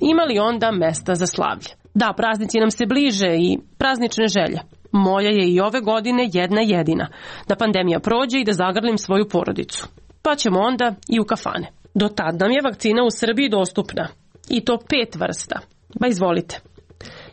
ima li onda mesta za slavlje? Da, praznici nam se bliže i praznične želje. Moja je i ove godine jedna jedina, da pandemija prođe i da zagrlim svoju porodicu. Pa ćemo onda i u kafane. Do tad nam je vakcina u Srbiji dostupna. I to pet vrsta. Ba izvolite.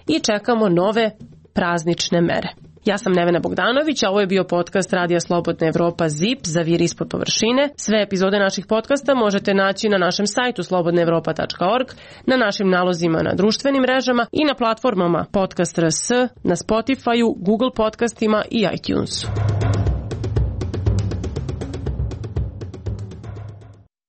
I čekamo nove praznične mere. Ja sam Nevena Bogdanović, a ovo je bio podcast Radija Slobodna Evropa ZIP, Zavir ispod površine. Sve epizode naših podcasta možete naći na našem sajtu slobodna evropa tačka org, na našim nalozima na društvenim mrežama i na platformama Podcast R S, na Spotifyu, Google podcastima i iTunesu.